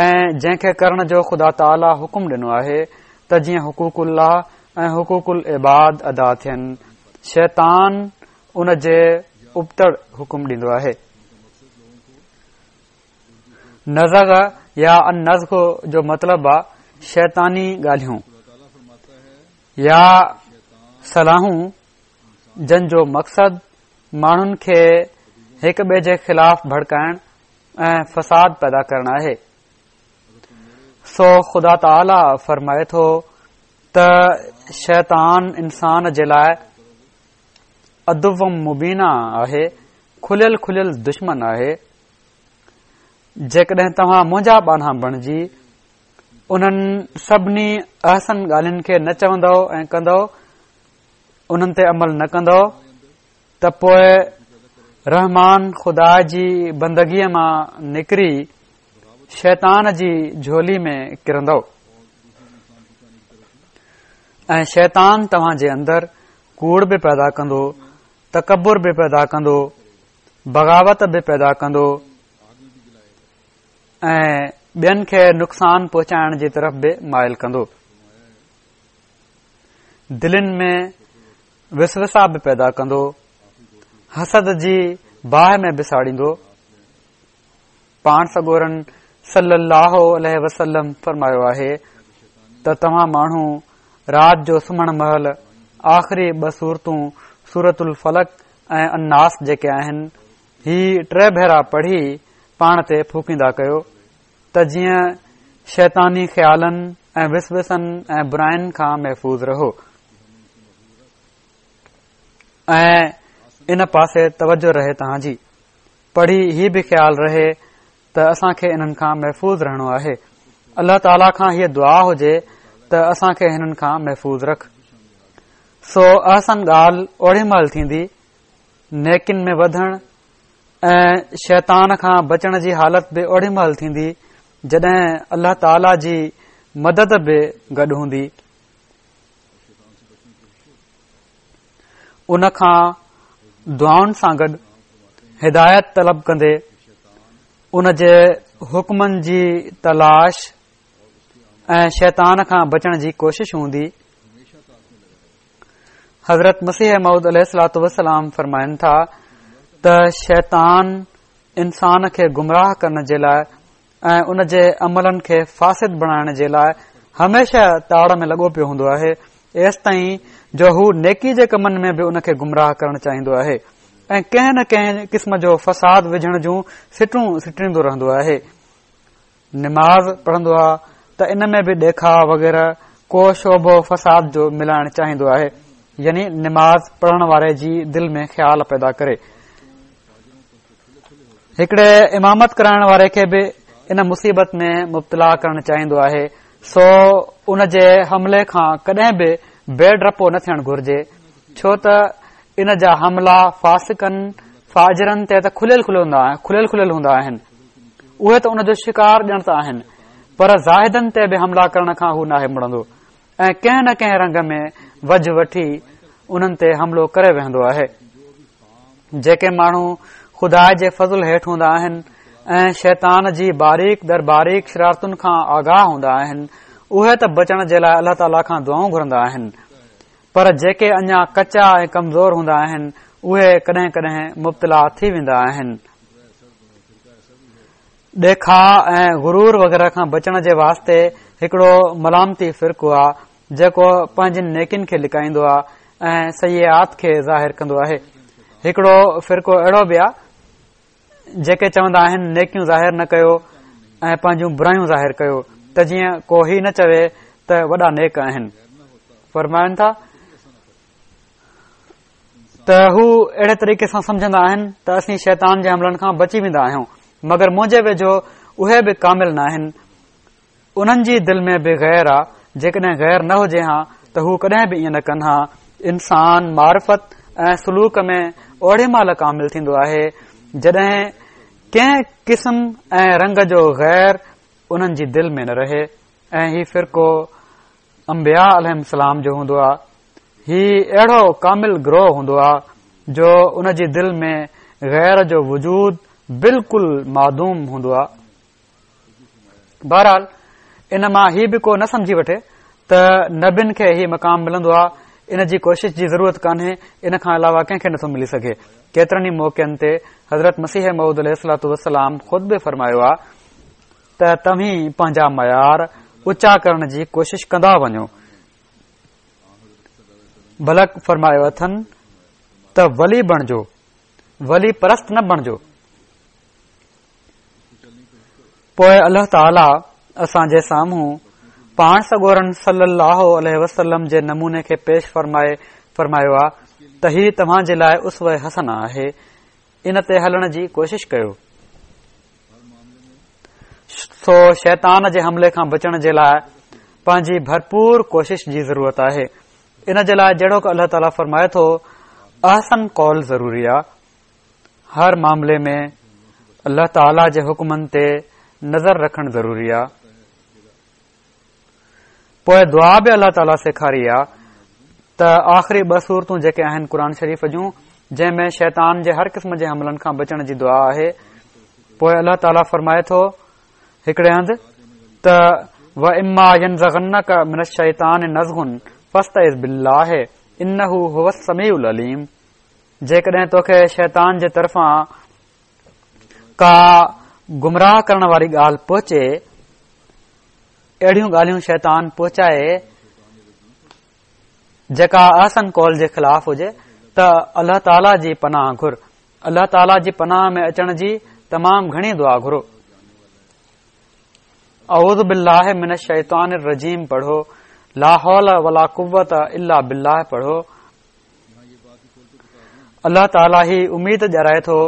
۽ جنهن کي ڪرڻ جو خدا تعاليٰ حڪم ڏنو آهي ته جيئن حقوق الله ۽ حقوق العباد ادا ٿين، شيطان ان جي ابتڙ حڪم ڏيندو آهي. نزغ يا النزغ جو مطلب آ شيطاني ڳالهيون يا صلاحون جن جو مقصد ماڻهن کي هڪ ٻئي جي خلاف ڀڙڪائڻ ۽ فساد پيدا ڪرڻ آهي. سو خدا تعاليٰ فرمائي ٿو ته شيطان انسان جي لاء عدو مبينا آهي، کليل کليل دشمن آهي. جيڪڏهن توهان منهنجا ٻانها بڻجي انهن سڀني احسن ڳالهين کي نه چوندؤ ۽ ڪندؤ، انهن تي عمل نه ڪندؤ ته پوء رحمان خدا جي بندگيء مان نڪري شيطان جي جهولي ۾ ڪرندؤ ۽ شيطان توهان جي اندر ڪوڙ به پيدا ڪندو، تڪبر به پيدا ڪندو، بغاوت به پيدا ڪندو ۽ ٻين کي نقصان پهچائڻ جي طرف به مائل ڪندو. دلين ۾ وسوسا به پيدا ڪندو، حسد جي باهه ۾ به ساڙيندو. پاڻ سڳورن صلي الله عليه وسلم فرمايو آهي ته توهان ماڻهو رات جو سمهڻ مهل آخري ٻه سورتون سورت الفلق ۽ الناس جيڪي آهن هي ٽي ڀيرا پڙهي پاڻ تي ڦوڪيندا ڪيو ته جيئن شيطاني خيالن ۽ وسوسن ۽ براين کان محفوظ رهو ۽ ان پاسي توجه رهي توهان جي پڙهي هي به خيال رهي ته اسان کي انهن کان محفوظ رهڻو آهي. الله تعاليٰ کان هيء دعا هجي ته اسان کي هنن کان محفوظ رک. سو احسن ڳالهه اوڙي مهل ٿيندي، نيڪين ۾ وڌڻ ۽ شيطان کان بچڻ جي حالت به اوڙي مهل ٿيندي، جڏهن الله تعاليٰ جي مدد به گڏ هوندي. ان کان دعائن سان گڏ هدايت طلب ڪندي ان جي حڪمن جي تلاش ۽ شيطان کان بچڻ جي ڪوشش هوندي. حضرت مسيح موعود عليه الصلوٰة والسلام فرمائن ٿا ته شيطان انسان کي گمراهه ڪرڻ جي لاء ۽ ان جي عملن کي فاسد بڻائڻ جي لاء هميشه تاڙ ۾ لڳو پيو هوندو آهي، ايستائين جو هو نيڪي جي ڪمن ۾ به ان کي گمراهه ڪرڻ چاهيندو آهي ۽ ڪنهن نه ڪنهن قسم جو فساد وجهڻ جون سٽون سٽيندو رهندو آهي. نماز پڙهندو آ ته ان ۾ به ڏيکاء وغيره ڪو شبهو فساد جو ملائڻ چاهيندو آهي، يعني نماز پڙهڻ واري جي دل ۾ خيال پيدا ڪري. هڪڙي امامت ڪرائڻ واري کي به ان مصيبت ۾ مبتلا ڪرڻ چاهيندو آهي سو ان جي حملي کان ڪڏهن به بي ڊپو نه ٿيڻ گهرجي ڇو ته ان جا حملا فاسقن فاجرن تي ته کليل کليل کليل هوندا آهن اهي ته ان جو شڪار ڄڻ ته آهن پر زاهدن تي به حملا ڪرڻ کان هو ناهي مڙندو ۽ ڪنهن نه ڪنهن رنگ ۾ وجهه وٺي انهن تي حملو ڪري ويهندو آهي. جيڪي ماڻهو خدا جي فضل هيٺ هوندا آهن ۽ شيطان جي باريڪ در باريڪ شرارتن کان آگاهه هوندا آهن، اهي ته بچڻ جي لاء الله تعاليٰ کان دعائون گهرندا آهن، پر جيڪي اڃا ڪچا ۽ ڪمزور هوندا آهن، اهي ڪڏهن ڪڏهن مبتلا ٿي ويندا آهن. ڏيکاء ۽ غرور وغيره کان بچڻ جي واسطي هڪڙو ملامتي فرقو آ جيڪو پنهنجين نيڪين کي لڪائيندو آ ۽ سيئات کي ظاهر ڪندو آهي. هڪڙو فرقو اهڙو به آ جيڪي چوندا آهن نيڪيون ظاهر نه ڪيو ۽ پنهنجون برايون ظاهر ڪيو ته جيئن ڪو هي نه چوي ته وڏا نيڪ آهن. فرمائن ٿا ته هو اهڙي طريقي سان سمجهندا آهن ته اسين شيطان جي حملن کان بچي ويندا آهيون مگر منهنجي ويجهو اهي به ڪامل نه آهن. انهن جي دل ۾ به غير آ، جيڪڏهن غير نه هجي ها ته هو ڪڏهن به ائين نه ڪن ها. انسان معرفت ۽ سلوڪ ۾ اوڏي مهل ڪامل ٿيندو آهي، جڏهن ڪنهن قسم ۽ رنگ جو غير انهن جي دل ۾ نه رهي ۽ هي فرقو انبياء عليهم السلام جو هوندو آ. هي اهڙو ڪامل گروهه هوندو آ جو ان جي دل ۾ غير جو وجود بلڪل معدوم هوندو آ. بهرحال ان مان هي به ڪو نه سمجهي وٺي ته نبين کي هي مقام ملندو آهي ان جي ڪوشش جي ضرورت ڪانهي ان کان علاوه ڪنهن کي نٿو ملي سگهي ڪيترن ئي موقعن تي حضرت مسيح موعود عليه الصلوة والسلام خود به فرمايو آهي ته توهين پنهنجا معيار اوچا ڪرڻ جي ڪوشش ڪندا وڃو بلڪ فرمايو اٿن ته ولي بڻجو ولي پرست نه بڻجو پوء الله تعاليٰ اسان جي سامهون پاڻ سڳورن صلي الله عليه وسلم جي نموني کي پيش فرمائي فرمايو آ ته هي توهان جي لاء اسوه حسنه آهي ان تي هلڻ جي ڪوشش ڪيو سو شيطان جي حملي کان بچڻ جي لاء پنهنجي ڀرپور ڪوشش جي ضرورت آهي ان جي لاء جهڙوڪ الله تعاليٰ فرمائي ٿو احسن قول ضروري آ هر معاملي ۾ الله تعاليٰ جي حڪمن تي نظر رکڻ ضروري آ پوء دعا به الله تعاليٰ سيکاري آ ته آخري ٻه سورتون جيڪي آهن قرآن شريف جون جنهن ۾ شيطان جي هر قسم جي حملن کان بچڻ جي دعا آهي پوء الله تعاليٰ فرمائي ٿو هڪڙي هنڌ ته واما ينزغنڪ من الشيطان نزغ فاستعذ بالله انه هو السميع العليم جيڪڏهن توکي شيطان جي طرفان ڪا گمراهه ڪرڻ واري ڳالهه پهچي، اهڙيون ڳالهيون شيطان پهچائي جيڪا احسن قول جي خلاف هجي ته الله تعاليٰ جي پناهه گهر الله تعاليٰ جي پناهه ۾ اچڻ جي تمام گهڻي دعا گهرو اعوذ بالله من الشيطان الرجيم پڙهو لا حول ولا قوت الا بالله پڙهو الله تعاليٰ هي اميد ڏيارائي ٿو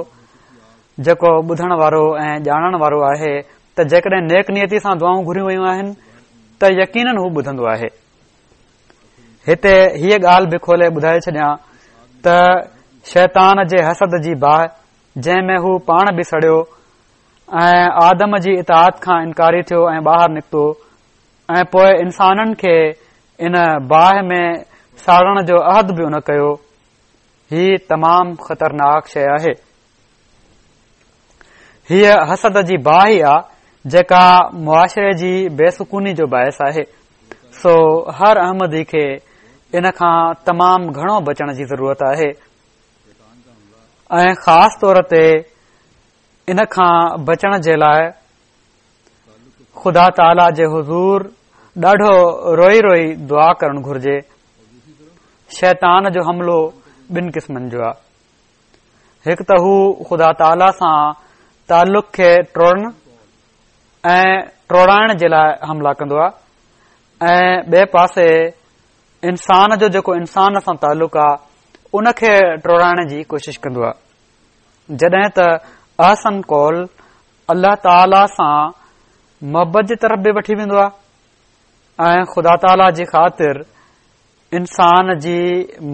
جيڪو ٻڌڻ وارو ۽ ڄاڻڻ وارو آهي ته جيڪڏهن نيڪ نيتي سان دعائون گهريون ويون آهن ته يقينن هو ٻڌندو آهي هتي هيء ڳالهه به کولي ٻڌائي ڇڏيان ته شيطان جي حسد جي باهه جنهن ۾ هو پاڻ به سڙيو ۽ آدم جي اطاعت کان انڪاري ٿيو ۽ ٻاهر نڪتو ۽ پوء انسانن کي ان باهه ۾ ساڙڻ جو عهد به ان ڪيو. هي تمام خطرناڪ شيء آهي. هيء حسد جي باهه ئي آ جيڪا معاشري جي بي سڪوني جو باعث آهي. سو هر احمدي کي ان کان تمام گهڻو بچڻ جي ضرورت آهي ۽ خاص طور تي ان کان بچڻ جي لاء خدا تعاليٰ جي حضور ڏاڍو روئي روئي دعا ڪرڻ گهرجي. شيطان جو حملو ٻن قسمن جو آهي. هڪ ته هو خدا تعاليٰ سان تعلق کي ٽوڙڻ ۽ ٽوڙائڻ جي لاء حملا ڪندو آهي ۽ ٻئي پاسي انسان جو جيڪو انسان سان تعلق آهي ان کي ٽوڙائڻ جي ڪوشش ڪندو آهي. جڏهن ته احسن قول الله تعاليٰ سان محبت جي طرف به وٺي ويندو آهي ۽ خدا تعاليٰ جي خاطر انسان جي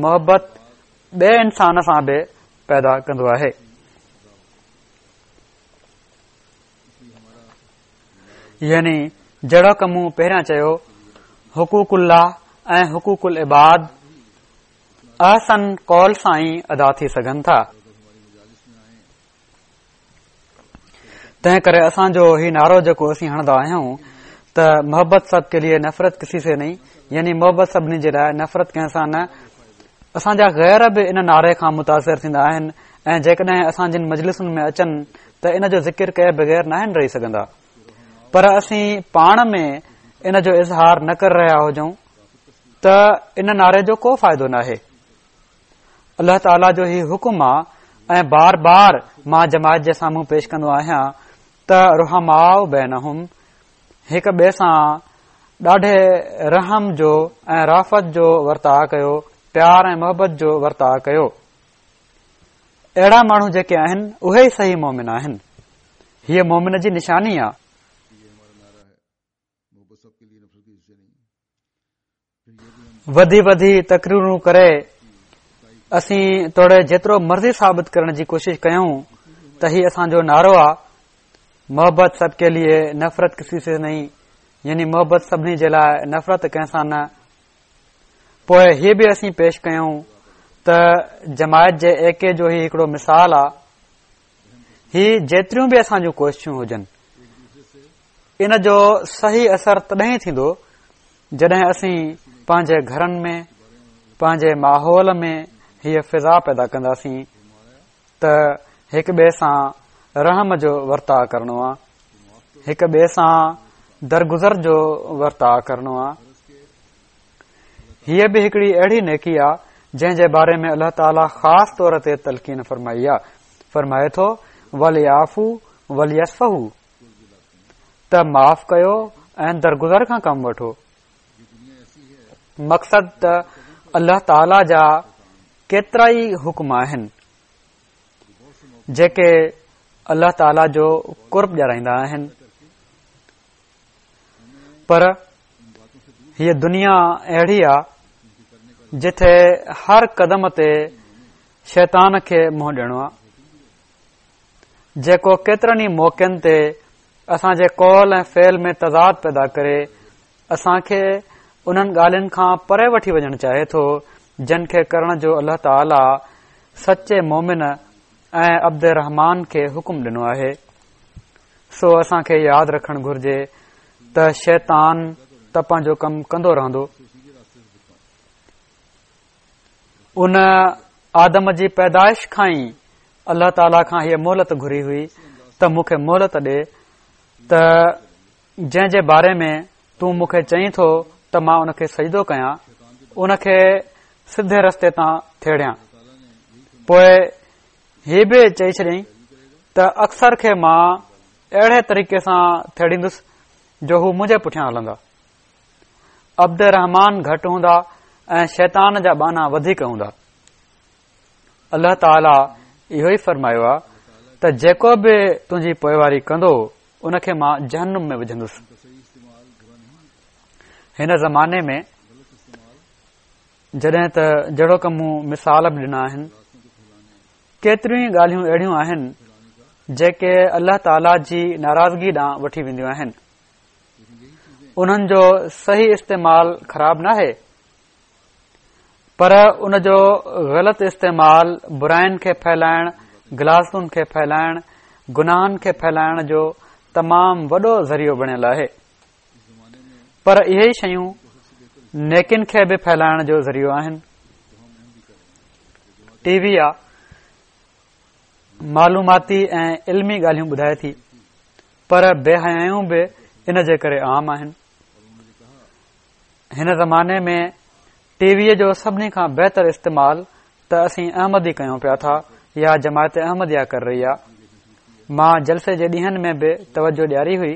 محبت ٻئي انسان سان به پيدا ڪندو آهي. يعني جهڙوڪ مون پهريان چيو حقوق الله ۽ حقوق العباد احسن قول سان ئي ادا ٿي سگهن ٿا. تنهن ڪري اسان جو هي نعرو جيڪو اسين هڻندا آهيون ته محبت سب ڪي ليي نفرت ڪسي سي نهين يعني محبت سڀني جي لاء نفرت ڪنهن سان نه اسان جا غير به ان نعري کان متاثر ٿيندا آهن ۽ جيڪڏهن اسان جن مجلسن ۾ اچن ته ان جو ذڪر ڪئي بغير ناهن رهي سگهندا پر اسين پاڻ ۾ ان جو اظهار نه ڪري رهيا هجون ته ان نعري جو ڪو فائدو ناهي. الله تعاليٰ جو هي حڪم آ ۽ بار بار مان جماعت جي سامهون پيش ڪندو آهيان ته رحماء بينهم هڪ ٻئي سان ڏاڍي رحم جو ۽ رافت جو ورتاء ڪيو، پيار ۽ محبت جو ورتاء ڪيو. اهڙا ماڻهو جيڪي آهن اهي ئي صحيح مومن آهن. هيء مومن جي نشاني آ. وڌي وڌي تقريرون ڪري اسين توڙي جيترو مرضي ثابت ڪرڻ جي ڪوشش ڪيون ته هي اسان جو نعرو آ محبت سب ڪي ليي نفرت ڪسي سي نهين يعني محبت سڀني جي لاء نفرت ڪنهن سان نه پوء هي به اسين پيش ڪيون ته جماعت جي ايڪي جو هي هڪڙو مثال آ هي جيتريون به اسان جون ڪوششون هجن ان جو صحيح اثر تڏهن ٿيندو جڏهن اسين پنهنجي گهرن ۾ پنهنجي ماحول ۾ هيء فضا پيدا ڪنداسين ته هڪ ٻئي سان رحم جو ورتاء ڪرڻو آ هڪ ٻئي سان درگذر جو ورتاء ڪرڻو آ هيء به هڪڙي اهڙي نيڪي آ جنهن جي باري ۾ الله تعاليٰ خاص طور تي تلقين فرمائي آ فرمائي ٿو وليعفوا وليصفحوا ته معاف ڪيو ۽ درگذر کان ڪم وٺو مقصد ته الله تعاليٰ جا ڪيترا ئي حڪم آهن جيڪي الله تعاليٰ جو قرب ڏيارائيندا آهن پر هيء دنيا اهڙي آ جتي هر قدم تي شيطان کي منهن ڏيڻو آ جيڪو ڪيترن ئي موقعن تي اسان جي قول ۽ فعل ۾ تضاد پيدا ڪري اسان کي انهن ڳالهين کان پري وٺي وڃڻ چاهي ٿو جن کي ڪرڻ جو الله تعاليٰ سچي مومن ۽ عبد الرحمان کي حڪم ڏنو آهي سو اسان کي ياد رکڻ گهرجي ته شيطان ته پنهنجو ڪم ڪندو رهندو ان آدم جي پيدائش کان ئي الله تعاليٰ کان هيء مهلت گهري هئي ته مون کي مهلت ڏي ته جنهن جي باري ۾ تون مون کي چئين ٿو ته مان ان کي سجدو ڪيان ان کي سڌي رستي تان ٿيڙيان پوء هي به چئي ڇڏيائين ته اڪثر کي مان اهڙي طريقي سان ٿيڙيندس جو هو منهنجي پٺيان هلندا عبد الرحمان گهٽ هوندا ۽ شيطان جا ٻانها وڌيڪ هوندا الله تعاليٰ اهو ئي فرمايو آهي ته جيڪو به تنهنجي پوئواري ڪندو ان کي مان جهنم ۾ وجهندس هن زماني ۾ جڏهن ته جهڙوڪ مون مثال به ڏنا آهن ڪيتريون ئي ڳالهيون اهڙيون آهن جيڪي الله تعاليٰ جي ناراضگي ڏانهن وٺي وينديون آهن انهن جو صحيح استعمال خراب ناهي پر ان جو غلط استعمال براين کي ڦهلائڻ، غلاظتن کي ڦهلائڻ، گناهن کي ڦهلائڻ جو تمام وڏو ذريعو بڻيل آهي. پر اهي ئي شيون نيڪين کي به ڦهلائڻ جو ذريعو آهن. ٽي وي آ معلوماتي ۽ علمي ڳالهيون ٻڌائي ٿي پر بي حيايون به ان جي ڪري عام آهن. هن زماني ۾ ٽي ويء جو سڀني کان بهتر استعمال ته اسين احمدي ڪيون پيا ٿا يا جماعت احمديه ڪري رهي آ. مان جلسي جي ڏينهن ۾ به توجه ڏياري هئي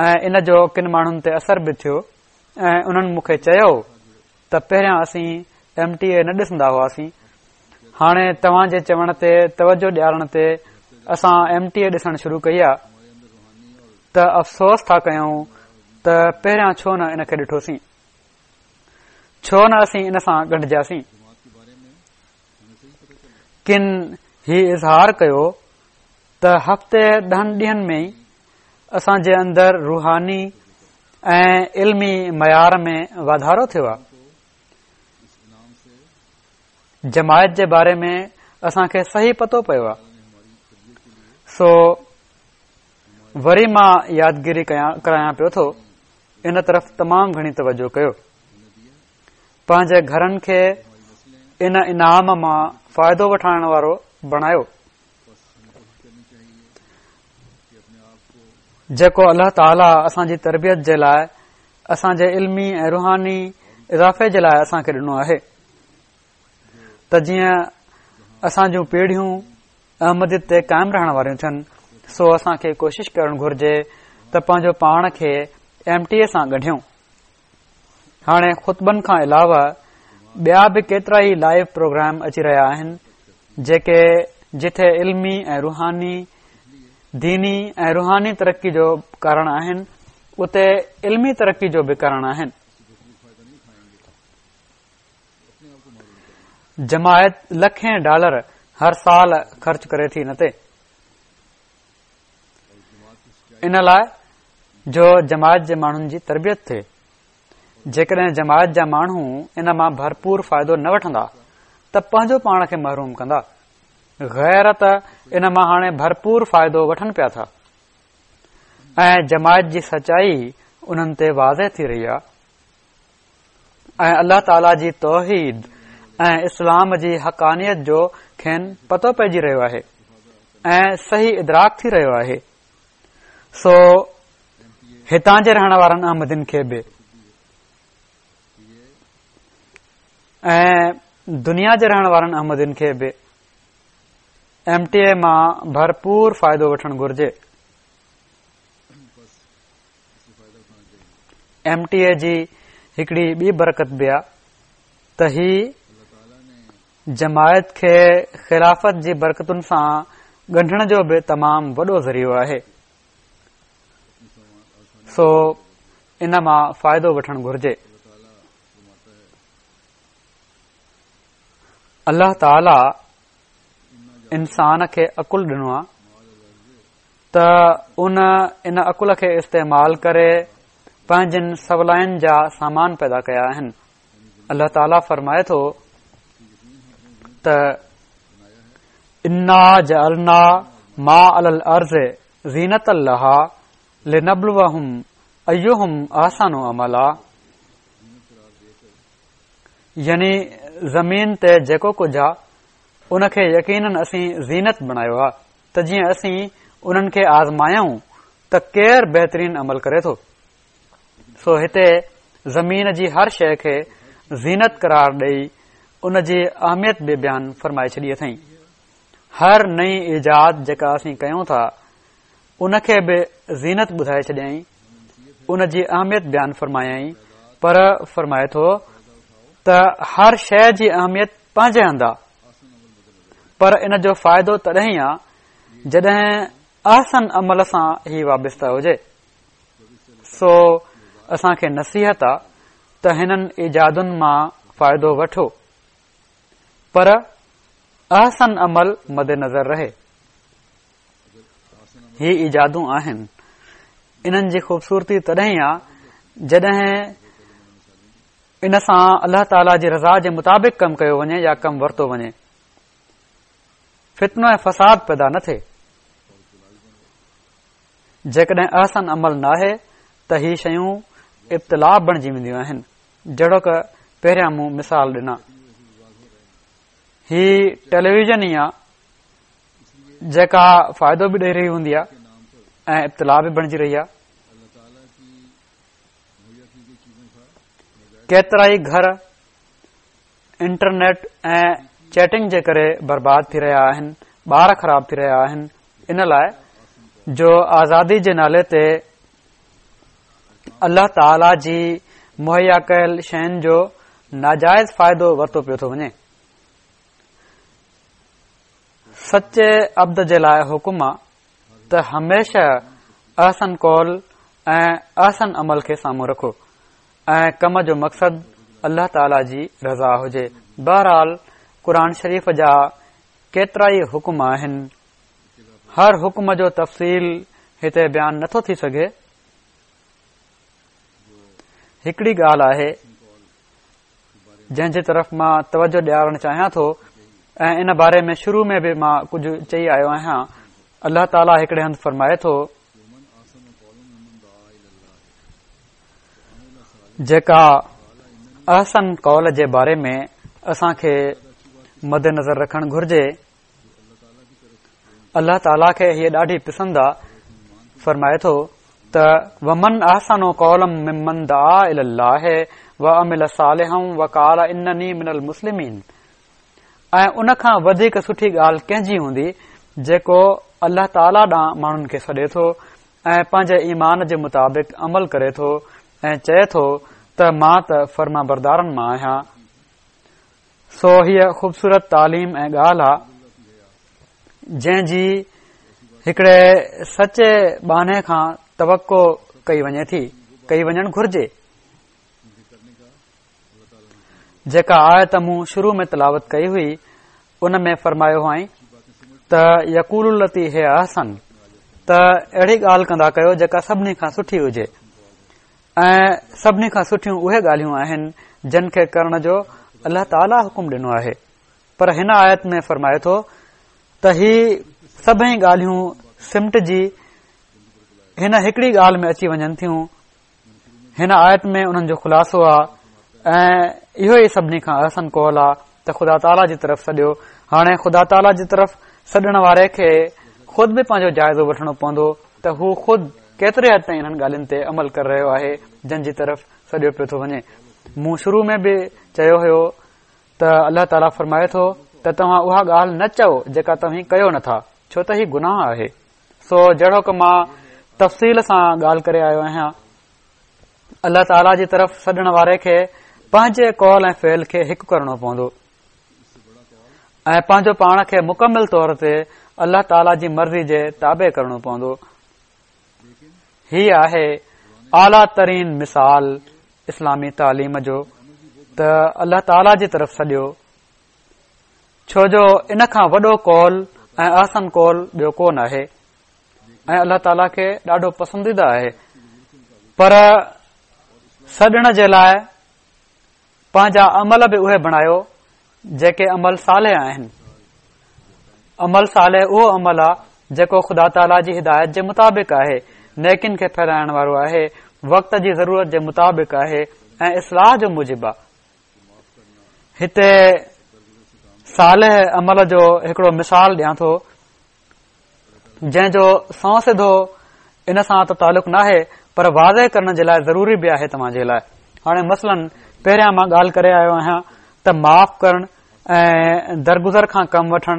۽ ان جو ڪن ماڻهن تي اثر به ٿيو ۽ انهن مون کي چيو ته پهريان اسين ايم ٽي اي نه ڏسندا هئاسين هاڻي توهان جي چوڻ تي توجه ڏيارڻ تي اسان ايم ٽي اي ڏسڻ شروع ڪئي آ ته افسوس ٿا ڪيون ته پهريان ڇو نه ان کي ڏٺوسين ڇو نه اسين ان سان ڳنڍجياسين ڪن هي اظهار ڪيو ته هفتي ڏهن ڏينهن ۾ ئي اسان جي اندر روحاني ۽ علمي معيار ۾ واڌارو ٿيو آهي جماعت جي باري ۾ اسان کي صحيح پتو پيو آهي سو وري مان يادگيري ڪرايان پيو ٿو ان طرف تمام گهڻي توجه ڪيو پنهنجي گهرن کي ان انعام مان فائدو وٺائڻ وارو بڻايو جيڪو الله تعاليٰ اسان جي تربيت جي لاء اسان جي علمي ۽ روحاني اضافي جي لاء اسان کي ڏنو آهي. ته جيئن اسان جون پيڙهيون احمديت تي قائم رهڻ واريون ٿين، سو اسان کي ڪوشش ڪرڻ گهرجي ته پنهنجو پاڻ کي ايم ٽي اي سان ڳنڍيون. هاڻي خطبن کان علاوه ٻيا به ڪيترائي لائيو پروگرام اچي رهيا آهن جيڪي جٿي علمي ۽ روحاني ديني ۽ روحاني ترقي جو ڪارڻ آهن اتي علمي ترقي جو به ڪارڻ آهن. جماعت لکين ڊالر هر سال خرچ ڪري ٿي ان تي ان لاء جو جماعت جي ماڻهن جي تربيت ٿئي جيڪڏهن جماعت جا ماڻهو ان مان ڀرپور فائدو نه وٺندا ته پنهنجو پاڻ کي محروم ڪندا غير ته ان مان هاڻي ڀرپور فائدو وٺن پيا ٿا ۽ جماعت جي سچائي انهن تي واضح ٿي رهي آهي ۽ الله تعاليٰ جي توحيد ۽ اسلام جي حقانيت جو کين پتو پئجي رهيو آهي ۽ صحيح ادراڪ ٿي رهيو آهي سو هتان جي رهڻ وارن احمدين کي به ۽ دنيا جي رهڻ وارن احمدين کي به ايم ٽي اي مان ڀرپور فائدو وٺڻ گهرجي ايم ٽي اي جي هڪڙي ٻي برڪت به آ ته هي جماعت کي خلافت جي برڪتن سان ڳنڍڻ جو به تمام وڏو ذريعو آهي سو ان مان فائدو وٺڻ گهرجي الله تعالي انسان کي عقل ڏنو آ ته ان ان عقل کي استعمال ڪري پنهنجين سولائين جا سامان پيدا ڪيا آهن الله تعاليٰ فرمائي ٿو ته انا جعلنا ما علي الارض زينة لها لنبلوهم ايهم احسن عملا يعني زمين تي جيڪو ڪجهه آ ان کي يقينن اسين زينت بڻايو آ ته جيئن اسين انهن کي آزمايون ته ڪير بهترين عمل ڪري ٿو. سو هتي زمين جي هر شيء کي زينت قرار ڏئي ان جي اهميت به بيان فرمائي ڇڏي اٿئين. هر نئين ايجاد جيڪا اسين ڪيون ٿا ان کي به زينت ٻڌائي ڇڏيائين، ان جي اهميت بيان فرمايائين پر فرمائي ٿو ته هر شيء جي اهميت پنهنجي هنڌ آ. پر ان جو فائدو تڏهن ئي آ جڏهن احسن عمل سان هي وابسته هجي. سو اسان کي نصيحت آ ته هنن ايجادن مان فائدو وٺو پر احسن عمل مد نظر رهي. هي ايجادون آهن انهن جي خوبصورتي تڏهن ئي آ جڏهن ان سان الله تعاليٰ جي رضا جي مطابق ڪم ڪيو وڃي يا ڪم ورتو وڃي فتنو ۽ فساد پيدا نه ٿئي جيڪڏهن احسن عمل ناهي ته هي شيون ابتلاء بڻجي وينديون آهن جهڙوڪ پهريان مون مثال ڏنا هي ٽيليويزن ئي آ جيڪا فائدو به ڏئي رهي هوندي آ ۽ ابتلاء به بڻجي رهي آ ڪيترائي گهر انٽرنيٽ ۽ چيٽنگ جي ڪري برباد ٿي رهيا آهن ٻار خراب ٿي رهيا آهن ان لاء جو آزادي جي نالي تي الله تعالي جي مهيا ڪيل شين جو ناجائز فائدو ورتو پيو ٿو وڃي سچي عبد جي لاء حڪم آ ته هميشه احسن قول ۽ احسن عمل کي سامهون رکو ۽ ڪم جو مقصد الله تعالي جي رضا هجي. بهرحال قرآن شريف جا ڪيترائي حڪم آهن. هر حڪم جو تفصيل هتي بيان نٿو ٿي سگهي. هڪڙي ڳالهه آهي جنهن جي طرف مان توجه ڏيارڻ چاهيان ٿو ۽ ان باري ۾ شروع ۾ به مان ڪجهه چئي آيو آهيان الله تعاليٰ هڪڙي هنڌ فرمائي ٿو جيڪا احسن قول جي باري ۾ اسان کي مد نظر رکڻ گهرجي الله تعاليٰ کي هيء ڏاڍي پسند آ فرمائي ٿو ته ومن احسن قولا ممن دعا الي الله وعمل صالحا وقال انني من المسلمين. ۽ ان کان وڌيڪ سٺي ڳالهه ڪنهن جي هوندي جيڪو الله تعاليٰ ڏانهن ماڻهن کي سڏي ٿو ۽ پنهنجي ايمان جي مطابق عمل ڪري ٿو ۽ چئي ٿو ته مان ته فرمانبردارن مان آهيان. سو هيء خوبصورت تعليم ۽ ڳالهه آ جنهن جي هڪڙي سچي ٻانهي کان توقع ڪئي وڃي ٿي، ڪئي وڃڻ گهرجي. جيڪا آيت مون شروع ۾ تلاوت ڪئي هئي ان ۾ فرمايو هئائين ته يقولوا التي هي احسن ته اهڙي ڳالهه ڪندا ڪيو جيڪا سڀني کان سٺي هجي ۽ سڀني کان سٺيون اهي ڳالهيون آهن جن کي ڪرڻ جو الله تعاليٰ حڪم ڏنو آهي پر هن آيت ۾ فرمائي ٿو ته هي سڀئي ڳالهيون سمٽجي هن هڪڙي ڳالهه ۾ اچي وڃن ٿيون هن آيت ۾ انهن جو خلاصو آ ۽ اهو ئي سڀني کان احسن قول آ ته خدا تعاليٰ جي طرف سڏيو. هاڻي خدا تعاليٰ جي طرف سڏڻ واري کي خود به پنهنجو جائزو وٺڻو پوندو ته هو خود ڪيتري حد تائين انهن ڳالهين تي عمل ڪري رهيو آهي جن جي طرف سڏيو پيو ٿو وڃي. مون شروع ۾ به چيو هيو ته الله تعاليٰ فرمائي ٿو ته توهان اها ڳالهه نه چئو جيڪا توهين ڪيو نٿا ڇو ته هي گناهه آهي. سو جهڙوڪ مان تفصيل سان ڳالهه ڪري آيو آهيان الله تعاليٰ جي طرف سڏڻ واري کي پنهنجي قول ۽ فعل کي هڪ ڪرڻو پوندو ۽ پنهنجو پاڻ کي مڪمل طور تي الله تعاليٰ جي مرضي جي تابع ڪرڻو پوندو هي آهي اعليٰ ترين مثال اسلامي تعليم جو ته الله تعاليٰ جي طرف سڏيو ڇو جو ان کان وڏو قول ۽ احسن قول ٻيو ڪو ناهي ۽ الله تعاليٰ کي ڏاڍو پسنديده آهي پر سڏڻ جي لاء پنهنجا عمل به اهي بڻايو جيڪي عمل صالح آهن عمل صالح اهو عمل آهي جيڪو خدا تعاليٰ جي هدايت جي مطابق آهي نيڪين کي ڦهلائڻ وارو آهي وقت جي ضرورت جي مطابق آهي ۽ اصلاح جو موجب آهي هتي صالح عمل جو هڪڙو مثال ڏيان ٿو جنهن جو سنئون سڌو ان سان ته تعلق ناهي پر واضح ڪرڻ جي لاء ضروري به آهي توهان جي لاء هاڻي مثلاً پهريان مان ڳالهه ڪري آيو آهيان ته معاف ڪرڻ ۽ درگذر کان ڪم وٺڻ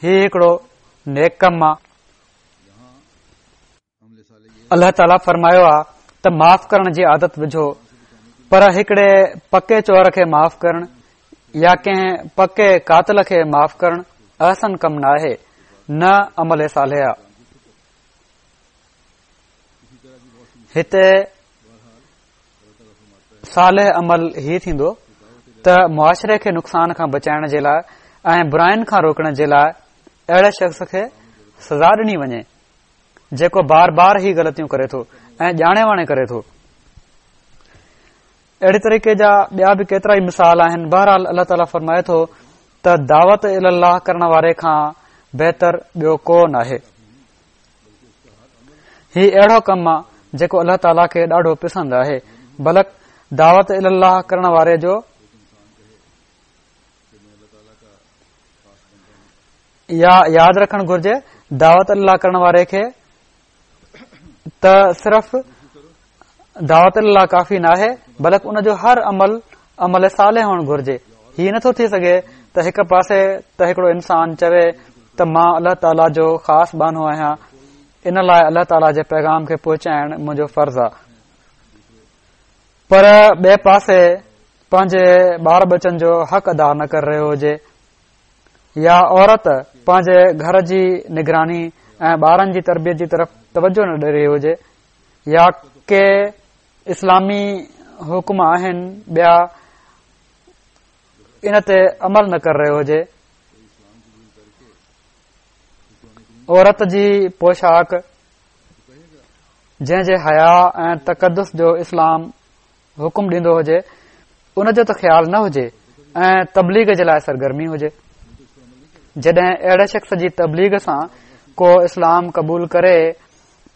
هي هڪڙو نيڪ ڪم آ الله تعاليٰ فرمايو آ ته معاف ڪرڻ جي عادت وجهو پر هڪڙي پڪي چور کي معاف ڪرڻ يا ڪنهن پڪي قاتل کي معاف ڪرڻ احسن ڪم نه آهي نه عمل صالح آ هتي صالح عمل هي ٿيندو ته معاشري کي نقصان کان بچائڻ جي لاء ۽ براين کان روڪڻ جي لاء اهڙي شخص کي سزا ڏني وڃي جيڪو بار بار هي غلطيون ڪري ٿو ۽ ڄاڻي واڻي ڪري ٿو. اهڙي طريقي جا ٻيا به ڪيترا ئي مثال آهن. بهرحال الله تعاليٰ فرمائي ٿو ته دعوت الي الله ڪرڻ واري کان بهتر ٻيو ڪو ناهي. هي اهڙو ڪم آ جيڪو الله تعاليٰ کي ڏاڍو پسند آهي بلڪ دعوت الي الله ڪرڻ واري جو يا ياد رکڻ گهرجي دعوت الي الله ڪرڻ واري کي ته صرف دعوت الي الله ڪافي ناهي بلڪ ان جو هر عمل عمل صالح هئڻ گهرجي هي نٿو ٿي سگهي ته هڪ پاسي ته هڪڙو انسان چوي ته مان الله تعاليٰ جو خاص ٻانهو آهيان ان لاء الله تعاليٰ جي پيغام کي پهچائڻ منهنجو فرض آهي پر ٻئي پاسي پنهنجي ٻار ٻچن جو حق ادا نه ڪري رهيو هجي يا عورت پنهنجي گهر جي نگراني ۽ ٻارن جي تربيت جي طرف توجه نه ڏئي رهي هجي يا ڪي اسلامي حڪم آهن ٻيا ان تي عمل نه ڪري رهيو هجي عورت جي پوشاڪ جنهن جي حيا ۽ تقدس جو اسلام حڪم ڏيندو هجي ان جو ته خيال نه هجي ۽ تبليغ جي لاء سرگرمي هجي جڏهن اهڙي شخص جي تبليغ سان ڪو اسلام قبول ڪري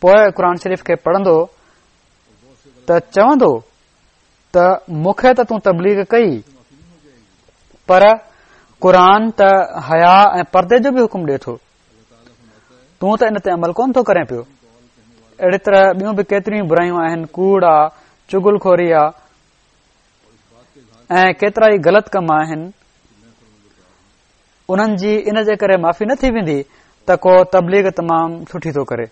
پوء قرآن شريف کي پڙهندو ته چوندو ته مون کي ته تون تبليغ ڪئي پر قرآن ته حيا ۽ پردي جو به حڪم ڏي ٿو تون ته ان تي عمل ڪونه ٿو ڪرين پيو اهڙي طرح ٻيون به ڪيتريون برايون آهن ڪوڙ آ چغل خوري آ ۽ ڪيترا ئي غلط ڪم آهن. انهن جي ان جي ڪري معافي نه ٿي ويندي ته ڪو تبليغ تمام سٺي ٿو ڪري.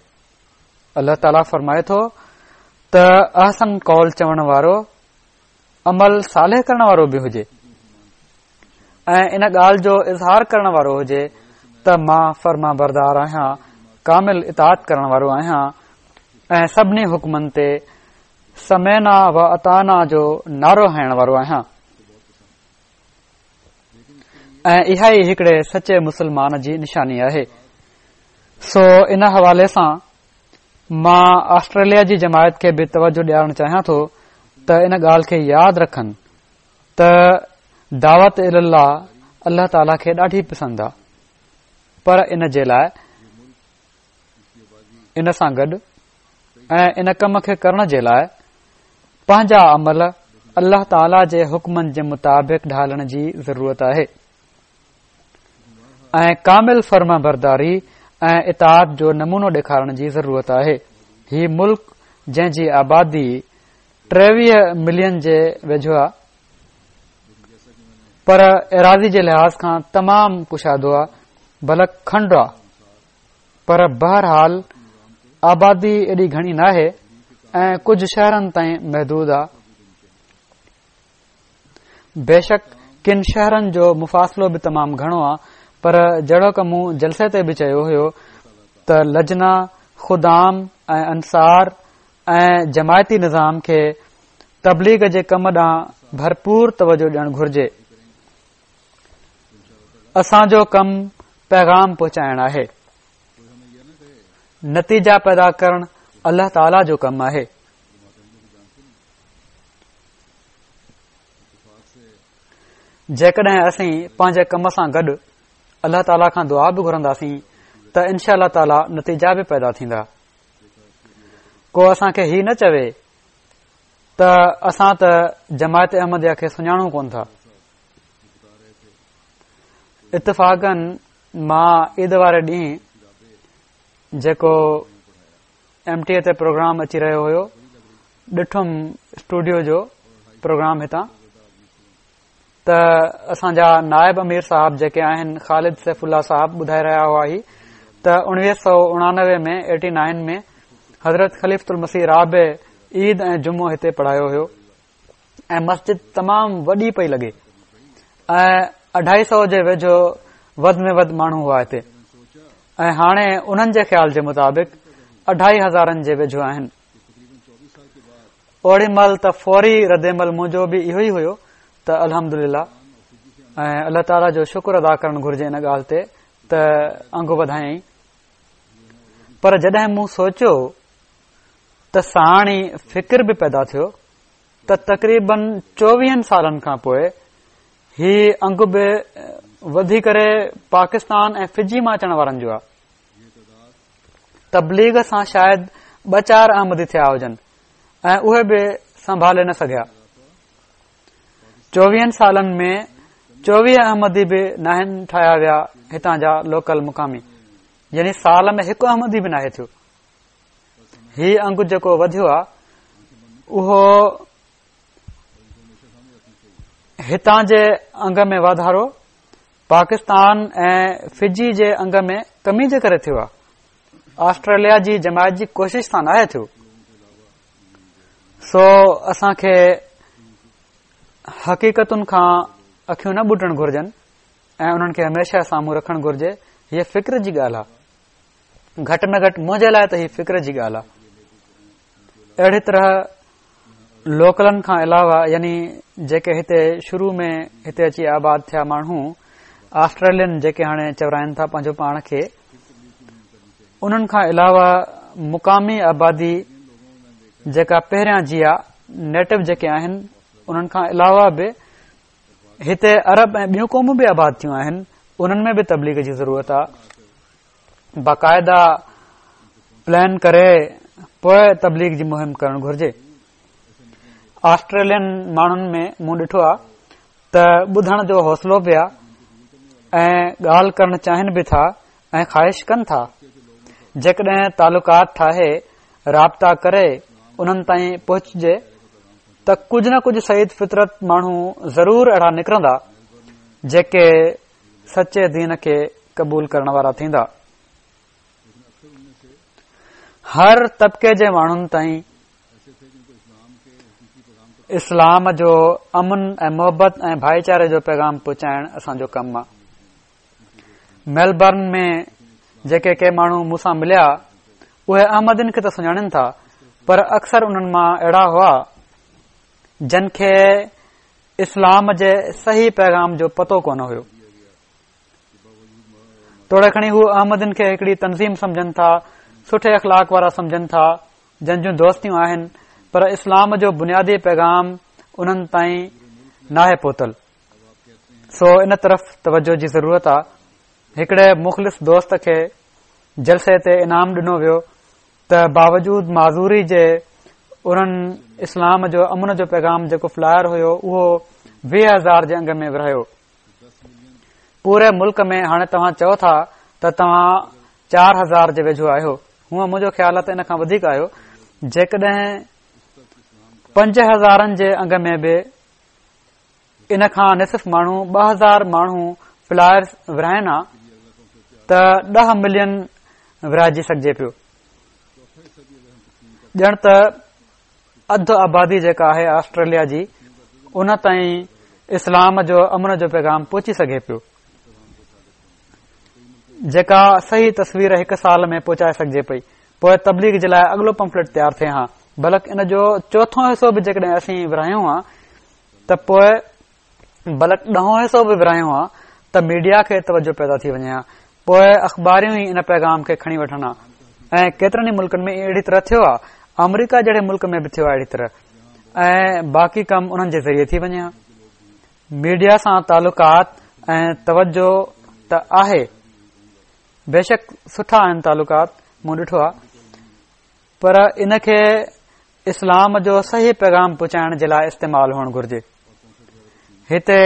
الله تعاليٰ فرمائي ٿو ته احسن قول چوڻ وارو عمل صالح ڪرڻ وارو به هجي ۽ ان ڳالهه جو اظهار ڪرڻ وارو هجي ته مان فرمانبردار آهيان، ڪامل اطاعت ڪرڻ وارو آهيان ۽ سڀني حڪمن تي سمعنا و اطعنا جو نعرو هڻڻ وارو آهيان. ۽ اها ئي هڪڙي سچي مسلمان جي نشاني آهي. سو ان حوالي سان مان آسٽريليا جي جماعت کي به توجه ڏيارڻ چاهيان ٿو ته ان ڳالهه کي ياد رکن ته دعوت الي الله الله تعاليٰ کي ڏاڍي پسند آ پر ان جي لاء ان سان گڏ ۽ ان ڪم کي ڪرڻ جي لاء پنهنجا عمل الله تعاليٰ جي حڪمن جي مطابق ڍالڻ جي ضرورت آهي ۽ ڪامل فرمانبرداري ۽ اطاعت جو نمونو ڏيکارڻ جي ضرورت آهي. هي ملڪ جنهن جي آبادي 23 ملين جي ويجهو آ پر ايراضي جي لحاظ کان تمام ڪشادو آ بلڪ کنڊ آ پر بهرحال آبادي ايڏي گهڻي ناهي ۽ ڪجهه شهرن تائين محدود آ. بيشڪ ڪن شهرن جو مفاصلو به تمام گهڻو آ پر جهڙوڪ مون جلسي تي به چيو هيو ته لجنا، خدام ۽ انصار ۽ جماعتي نظام کي تبليغ جي ڪم ڏانهن ڀرپور توجه ڏيڻ گهرجي. اسان جو ڪم پيغام پهچائڻ آهي. نتيجا پيدا ڪرڻ الله تعاليٰ جو ڪم آهي. جيڪڏهن اسين پنهنجي ڪم سان گڏ الله تعاليٰ کان دعا به گهرنداسين ته انشاء الله تعاليٰ نتيجا به پيدا ٿيندا. ڪو اسان کي هي نه چوي ته اسان ته جماعت احمديه کي سڃاڻون ڪون ٿا. اتفاقن مان عيد واري ڏينهن جيڪو ايم ٽي اي تي پروگرام اچي رهيو هيو ڏٺم اسٽوڊيو جو پروگرام هتان ته اسان جا نائب امير صاحب جيڪي آهن خالد سيف الله صاحب ٻڌائي رهيا هئا هي ته 1989 ۾ 89 ۾ حضرت خليفة المسيح رابع عيد ۽ جمعو هتي پڙهايو هيو ۽ مسجد تمام وڏي پئي لڳي ۽ اڍائي سو جي ويجهو وڌ ۾ وڌ ماڻهو هئا هتي ۽ هاڻي انهن جي خيال جي مطابق اڍائي هزارن جي ويجهو آهن. اوڙي مهل ته فوري رد عمل منهنجو به اهو ئي هيو ته الحمد لله ۽ الله تعاليٰ جو شڪر ادا ڪرڻ گهرجي ان ڳالهه تي ته انگ وڌايائين پر جڏهن مون سوچيو ته ساڻ ئي فڪر به پيدا ٿيو ته تقريبن چوويهن سالن کان پوء هي انگ به وڌي ڪري پاڪستان ۽ فجي مان اچڻ وارن جو آهي. تبليغ سان شايد ٻه چار احمدي ٿيا هجن ۽ اهي به سنڀالي نه سگهيا. چوويهن سالن ۾ چوويهه احمدي به ناهن ٺاهيا ويا هتان جا لوڪل مقامي يعني سال ۾ هڪ احمدي به ناهي ٿيو. هي انگ جيڪو وڌيو آهي اهو هتان جي انگ ۾ واڌارو پاڪستان ۽ فجي جي انگ ۾ ڪمي جي ڪري ٿيو آهي آسٽريليا جي جماعت جي ڪوشش سان ناهي ٿيو سو اسان کي حقيقتن کان اکيون نه ٻوٽڻ گهرجن ۽ انهن کي هميشه سامهون رکڻ گهرجي هيء فڪر جي ڳالهه آهي گهٽ ۾ گهٽ منهنجي لاء ته هي فڪر جي ڳالهه آهي. اهڙي طرح لوڪلن کان علاوه يعني جيڪي هتي شروع ۾ هتي اچي آباد ٿيا ماڻهو آسٽريلين جيڪي هاڻي چورائن ٿا پنهنجو پاڻ کي انهن کان علاوه مقامي آبادي جيڪا پهريان جي آ نيٽو جيڪي آهن انهن کان علاوه به هتي عرب ۽ ٻيون قومون به آباد ٿيون آهن انهن ۾ به تبليغ جي ضرورت آ باقاعده پلان ڪري پوء تبليغ جي مهم ڪرڻ گهرجي. آسٽريلين ماڻهن ۾ مون ڏٺو آهي ته ٻڌڻ جو حوصلو به آهي ۽ ڳالهه ڪرڻ چاهين به ٿا ۽ خواهش ڪن ٿا. جيڪڏهن تعلقات ٺاهي رابطا ڪري انهن تائين پهچجي ته ڪجهه نه ڪجهه سعيد فطرت ماڻهو ضرور اهڙا نڪرندا جيڪي سچي دين کي قبول ڪرڻ وارا ٿيندا. هر طبقي جي ماڻهن تائين اسلام جو امن ۽ محبت ۽ ڀائيچاري جو پيغام پهچائڻ اسان جو ڪم آ. ميلبرن ۾ جيڪي ڪي ماڻهو مون سان مليا اهي احمدين کي ته سڃاڻين ٿا پر اڪثر انهن مان اهڙا هئا جن کي اسلام جي صحيح پيغام جو پتو ڪونه هيو. توڙي کڻي هو احمدين کي هڪڙي تنظيم سمجهن ٿا، سٺي اخلاق وارا سمجهن ٿا، جن جون دوستيون آهن، پر اسلام جو بنيادي پيغام انهن تائين ناهي پهتل. سو ان طرف توجه جي ضرورت آ. هڪڙي مخلص دوست کي جلسي تي انعام ڏنو ويو ته باوجود معذوري جي انهن اسلام جو امن جو پيغام جيڪو فلائر هيو اهو 20,000 جي انگ ۾ ورهايو. پوري ملڪ ۾ هاڻي توهان چئو ٿا ته توهان 4000 جي ويجهو آهيو. هونء منهنجو خيال آهي ته ان کان وڌيڪ آهيو. جيڪڏهن پنج هزارن جي انگ ۾ به ان کان نصف ماڻهو 2000 ماڻهو فلائرز ورهائن ها ته 10 ملين ورهائجي سگهجي پيو. ڄڻ ته اڌ آبادي جيڪا آهي آسٽريليا جي ان تائين اسلام جو امن جو پيغام پهچي سگهي پيو جيڪا صحيح تصوير هڪ سال ۾ پهچائي سگهجي پئي پوء تبليغ جي لاء اڳلو پمفليٽ تيار ٿئي ها بلڪ ان جو چوٿون حصو به جيڪڏهن اسين ورهايون ها ته پوء بلڪ ڏهون حصو به ورهايون ها ته ميڊيا کي توجه پيدا ٿي وڃي ها پوء اخباريون ئي ان پيغام کي کڻي وٺن ها ۽ ڪيترن ئي ملڪن ۾ اهڙي طرح ٿيو آهي آمريڪا جهڙي ملڪ ۾ به ٿيو آهي اهڙي طرح ۽ باقي ڪم انهن جي ذريعي ٿي وڃي ها ميڊيا سان تعلقات ۽ توجه ته آهي بيشڪ سٺا آهن تعلقات مون ڏٺو آهي پر ان کي اسلام جو صحيح پيغام پهچائڻ جي لاء استعمال هئڻ گهرجي. هتي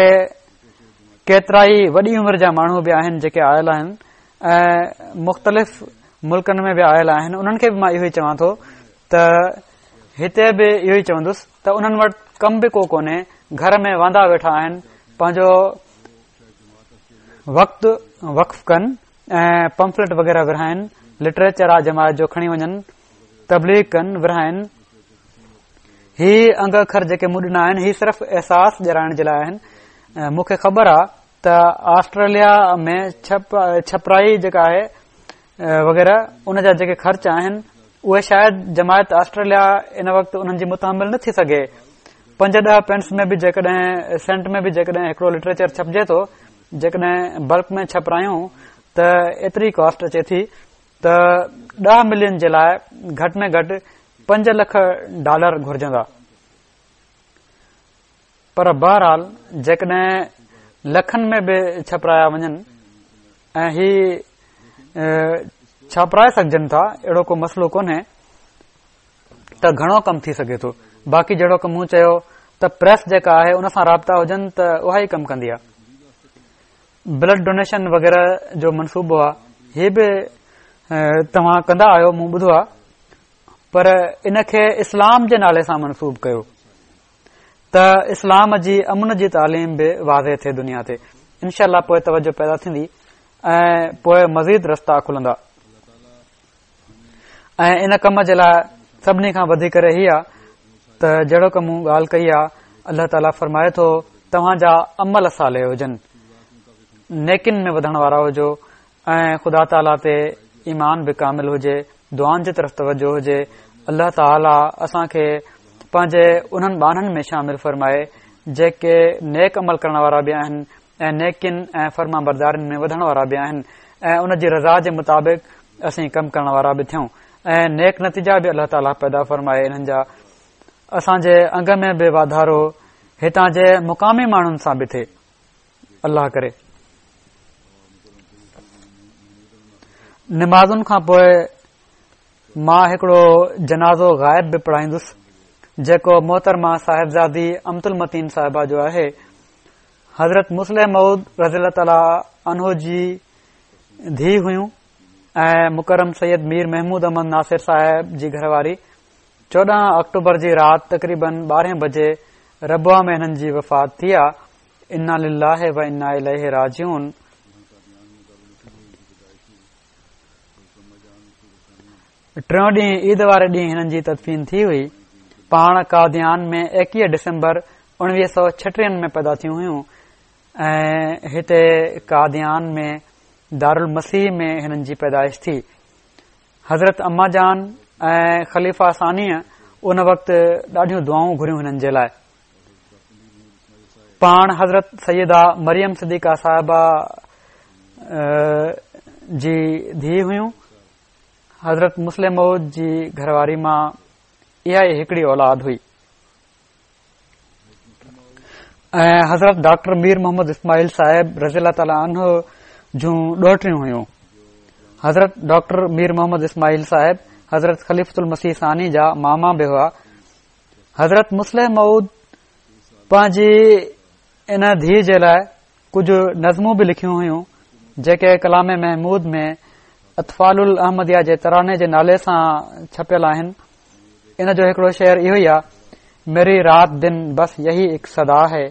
ڪيترائي وڏي عمر جا ماڻهو به آهن جيڪي آيل آهن ۽ مختلف ملڪن ۾ به آيل آهن انهن کي به مان اهو ئي چوان ٿو ته هتي به اهو ئي چوندس ته انهن وٽ ڪم به ڪو ڪونهي گهر ۾ واندا ويٺا آهن پنهنجو وقت وقف ڪن ۽ پمفليٽ وغيره ورهائن لٽريچر آ جماعت جو کڻي وڃن تبليغ ڪن ورهائن هي انگ اکر جيڪي مون ڏنا آهن هي صرف احساس ڏيارائڻ جي لاء آهن مون کي خبر آ ته آسٽريليا ۾ ڇپ ڇپرائي جيڪا آهي وغيره ان جا جيڪي خرچ آهن اهي شايد جماعت آسٽريليا ان وقت انهن جي متحمل نه ٿي سگهي پنج ڏهه پينس ۾ به جيڪڏهن سينٽ ۾ به جيڪڏهن هڪڙو لٽريچر ڇپجي ٿو جيڪڏهن بلڪ ۾ ڇپرايون ته ايتري ڪاسٽ اچي ٿي ته 10 ملين جي لاء گهٽ ۾ گهٽ 5 لک ڊالر گهرجندا پر بهرحال جيڪڏهن لکن ۾ به ڇپرايا وڃن ۽ هي ڇپرائي سگهجن ٿا اهڙو ڪو مسئلو ڪونهي ته گهڻو ڪم ٿي سگهي ٿو باقي جهڙوڪ مون چيو ته پريس جيڪا آهي ان سان رابطا هجن ته اها ئي ڪم ڪندي آهي بلڊ ڊونيشن وغيره جو منصوبو آهي هي به توهان ڪندا آهيو مون ٻڌو آهي پر ان کي اسلام جي نالي سان منسوب ڪيو ته اسلام جي امن جي تعليم به واضح ٿئي دنيا تي انشاء الله پوء توجه پيدا ٿيندي ۽ پوء مزيد رستا کلندا ۽ ان ڪم جي لاء سڀني کان وڌي ڪري هي آ ته جهڙوڪ مون ڳالهه ڪئي آ الله تعاليٰ فرمائي ٿو توهان جا عمل صالح هجن نيڪين ۾ وڌڻ وارا هجو ۽ خدا تعاليٰ تي ايمان به ڪامل هجي دعائن جي طرف توجه هجي الله تعاليٰ اسان کي پنهنجي انهن ٻانهن ۾ شامل فرمائي جيڪي نيڪ عمل ڪرڻ وارا به آهن ۽ نيڪين ۽ فرمانبردارين ۾ وڌڻ وارا به آهن ۽ ان جي رضا جي مطابق اسين ڪم ڪرڻ وارا به ٿيون ۽ نيڪ نتيجا به الله تعاليٰ پيدا فرمائي انهن جا اسان جي انگ ۾ به واڌارو هتان جي مقامي ماڻهن سان به ٿئي الله ڪري نمازن کان پوء مان هڪڙو جنازو غائب به پڙهائيندس جيڪو محترمه صاحبزادي امت المتين صاحبه جو آهي حضرت مصلح موعود رضي الله تعالٰي عنه جي ڌيء هيون ۽ مڪرم سيد مير محمود احمد ناصر صاحب جي گهر واري 14 آڪٽوبر جي رات تقريبن 12 بجي ربوه ۾ هنن جي وفات ٿي آ انا لله و انا اليه راجعون. ٽيون ڏينهن عيد واري ڏينهن هنن جي تدفين ٿي هئي. پاڻ قاديان ۾ ايڪيهه ڊسمبر اڻويهه سو ڇٽيهن ۾ پيدا ٿيون هيون ۽ هتي قاديان ۾ دارالمسيح ۾ هنن جي پيدائش ٿي. حضرت اما جان ۽ خليفه ثانيء ان وقت ڏاڍيون دعائون گهريون هنن جي لاء. پاڻ حضرت سيده مريم صديقه صاحبه جي ڌيء هيون. حضرت مصلح موعود جي گهرواري مان اها ئي هڪڙي اولاد هئي ۽ حضرت ڊاڪٽر مير محمد اسماعيل صاحب رضي الله تعاليٰ عنه جون ڏوهٽيون هيون. حضرت ڊاڪٽر مير محمد اسماعيل صاحب حضرت خليفة المسيح ثاني جا ماما به هئا. حضرت مصلح موعود پنهنجي ان ڌيء جي لاء ڪجهه نظمون به لکيون هيون جيڪي ڪلام محمود ۾ اطفال الاحمديه جي تراني جي نالي سان ڇپيل آهن. ان جو هڪڙو شعر اهو ئي آ، ميري رات دن بس يهي اڪ صدا هي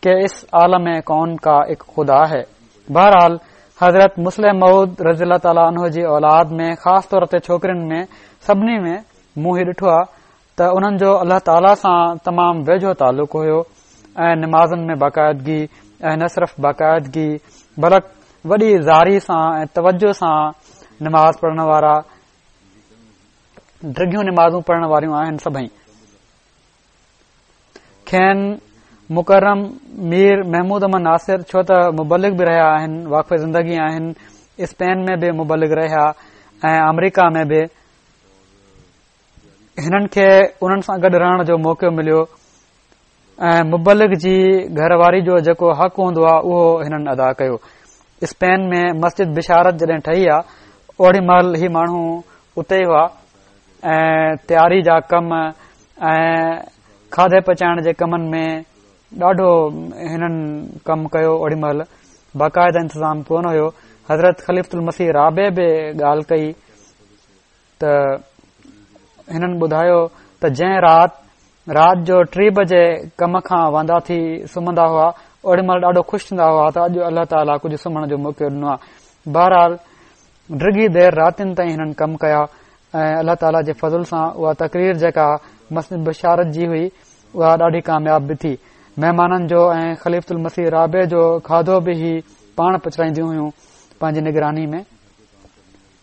ڪه اس عالم ڪون ڪا اڪ خدا هي. بهرحال حضرت مصلح موعود رضي الله تعالٰي عنه جي اولاد ۾ خاص طور تي ڇوڪرين ۾ سڀني ۾ مون هي ڏٺو آ ته انهن جو الله تعاليٰ سان تمام ويجهو تعلق هيو ۽ نمازن ۾ باقاعدگي ۽ نه صرف باقاعدگي بلڪ وڏي زاري سان ۽ توجه سان نماز پڙهڻ وارا ڊگهيون نمازون پڙهڻ واريون آهن سڀئي کين مڪرم مير محمود احمد ناصر ڇو ته مبلغ به رهيا آهن واقف زندگي آهن اسپين ۾ به مبلغ رهيا ۽ آمريڪا ۾ به هنن کي انهن سان گڏ رهڻ جو موقعو مليو ۽ مبلغ جي گهر واري جو جيڪو حق هوندو آهي اهو هنن ادا ڪيو. اسپين ۾ مسجد بشارت جڏهن ٺهي آ اوڏي مهل هي ماڻهو اتي ئي هئا ۽ تياري جا ڪم ۽ کاڌي پچائڻ جي ڪمن ۾ ڏاڍو هنن ڪم ڪيو اوڏي مهل باقاعده انتظام ڪونه هيو حضرت خليفة المسيح رابع به ڳالهه ڪئي ته هنن ٻڌايو ته جنهن رات رات جو ٽي بجي ڪم کان واندا ٿي سمهندا هئا اوڏي مهل ڏاڍو خوش ٿيندا هئا ته اڄ الله تعاليٰ ڪجهه سمهڻ جو موقعو ڏنو آهي بهرحال ڊگهي دير راتين تائين هنن ڪم ڪيا ۽ الله تعاليٰ جي فضل سان اها تقرير جيڪا مسجد بشارت جي هئي اها ڏاڍي ڪامياب به ٿي مهمانن جو ۽ خليفة المسيح رابع جو کاڌو به هي پاڻ پچرائينديون هيون پنهنجي نگراني ۾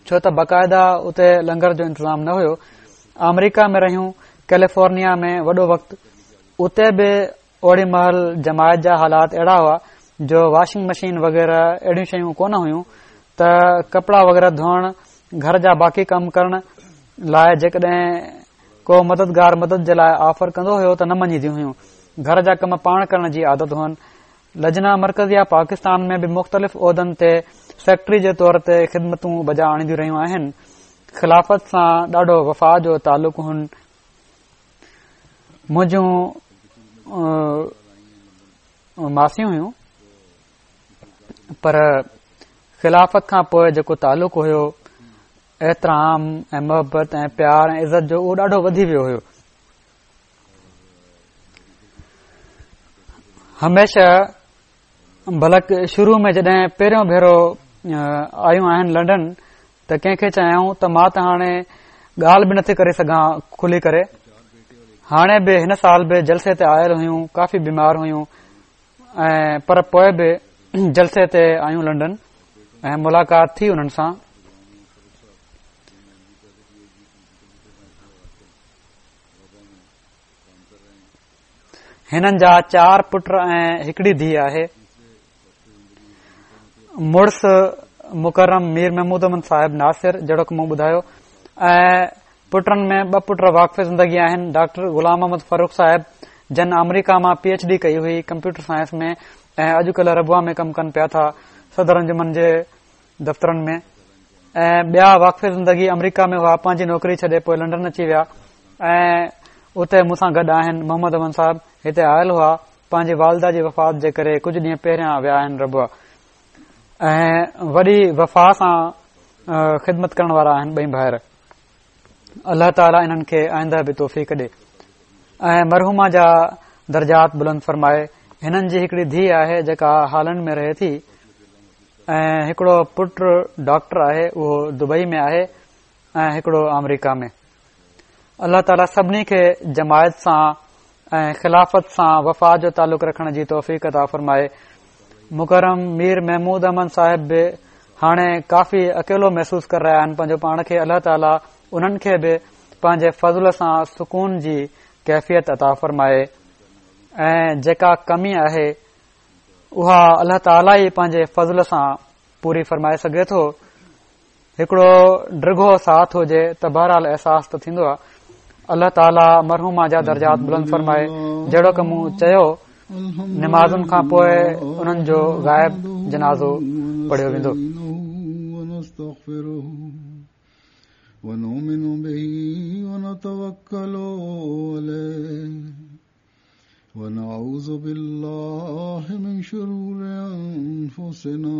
ڇو ته باقاعده اتي لنگر جو انتظام نه هيو. آمريڪا ۾ رهيون، ڪيليفورنيا ۾ وڏو وقت. اتي به اوڏي مهل جماعت جا حالات اهڙا هئا جو واشنگ مشين وغيره اهڙيون شيون ڪونه هيون ته ڪپڙا وغيره ڌوئڻ، گهر جا باقي ڪم ڪرڻ لاء جيڪڏهن ڪو مددگار مدد جي لاء آفر ڪندو هيو ته نه مڃينديون هيون. گهر جا ڪم پاڻ ڪرڻ جي عادت هئن. لجنه مرڪزيه پاڪستان ۾ به مختلف عهدن تي سيڪريٽري جي طور تي خدمتون بجا آڻينديون رهيون آهن. خلافت سان ڏاڍو وفا جو تعلق هن. منهنجون ماسيون هيون پر خلافت کان پوء جيڪو تعلق هيو احترام ۽ محبت ۽ پيار ۽ عزت جو اهو ڏاڍو وڌي ويو هيو. هميشه بلڪ شروع ۾ جڏهن پهريون ڀيرو آيون آهن لنڊن ته ڪنهن کي چيائون ته مان ته هاڻي ڳالهه به نٿي ڪري سگهان کلي ڪري هاڻي به هن سال به جلسي تي آيل هيون ڪافي بيمار هيون ۽ پر پوء به جلسي تي آيون لنڊن ۽ ملاقات ٿي انهن سان هنن جا چار پٽ ۽ هڪڙي ڌيء آهي. مڙس مڪرم مير محمود احمد صاحب ناصر جهڙوڪ مون ٻڌايو ۽ پٽن ۾ ٻه پٽ واقف زندگي آهن ڊاڪٽر غلام محمد فرخ صاحب جن آمريڪا مان پي ايڇ ڊي ڪئي هئي ڪمپيوٽر سائنس ۾ ۽ اڄڪلهه ربوه ۾ ڪم ڪن پيا ٿا صدر انجمن جي دفترن ۾ ۽ ٻيا واقف زندگي آمريڪا ۾ هئا پنهنجي نوڪري ڇڏي پوء لنڊن اچي ويا ۽ اتي مون سان گڏ آهن محمد احمد صاحب هتي آيل هئا پنهنجي والده جي وفات جي ڪري ڪجهه ڏينهن پهريان ويا آهن ربوه ۽ وڏي وفا سان خدمت ڪرڻ وارا آهن ٻئي ڀائر الله تعالي انهن کي آئنده به توفيق ڏي ۽ مرحومه جا درجات بلند فرمائي هنن جي هڪڙي ڌيء آهي جيڪا هالنڊ ۾ رهي ٿي ۽ هڪڙو پٽ ڊاڪٽر آهي اهو دبئي ۾ آهي. ۽ هڪڙو آمريڪا ۾. الله تعاليٰ سڀني کي جماعت سان ۽ خلافت سان وفا جو تعلق رکڻ جي توفيق عطا فرمائي. مڪرم مير محمود احمد صاحب به هاڻي ڪافي اڪيلو محسوس ڪري رهيا آهن پنهنجو پاڻ کي الله تعاليٰ انهن کي به پنهنجي فضل سان سڪون جي ڪيفيت عطا فرمائي ۽ جيڪا ڪمي آهي اها الله تعاليٰ ئي پنهنجي فضل سان پوري فرمائي سگهي ٿو. هڪڙو ڊگهو ساٿ هجي ته بهرحال احساس ته ٿيندو آهي. الله تعاليٰ مرحومه جا درجات بلند فرمائي. جهڙوڪ مون چيو نمازن کان پوء انهن جو غائب جنازو پڙهيو ويندو. ونؤمن به ونتوڪل عليه ونعوذ بالله من شرور انفسنا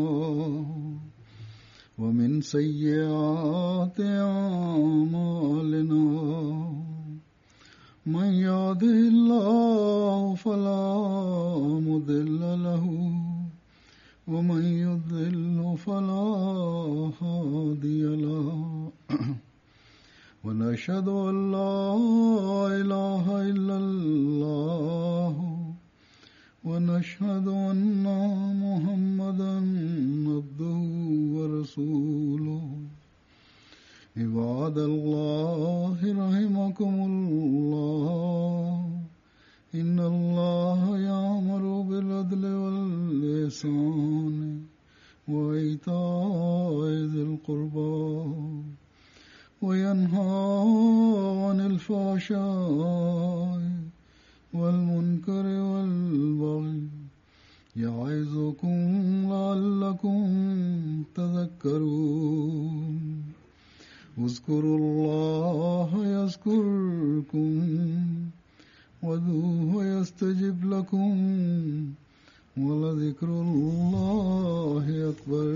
ومن سيئات اعمالنا من يهده الله فلا مضل له ومن يضلل فلا هادي له ونشهد ان لا اله الا الله ونشهد ان محمدا عبده ورسوله عباد الله رحمكم الله ان الله يامر بالعدل والإحسان وإيتاء ذي القربى وينهى عن الفحشاء والمنكر والبغي يعظكم لعلكم تذكرون اذكروا الله يذكركم وادعوه يستجب لكم ولذكر الله أكبر.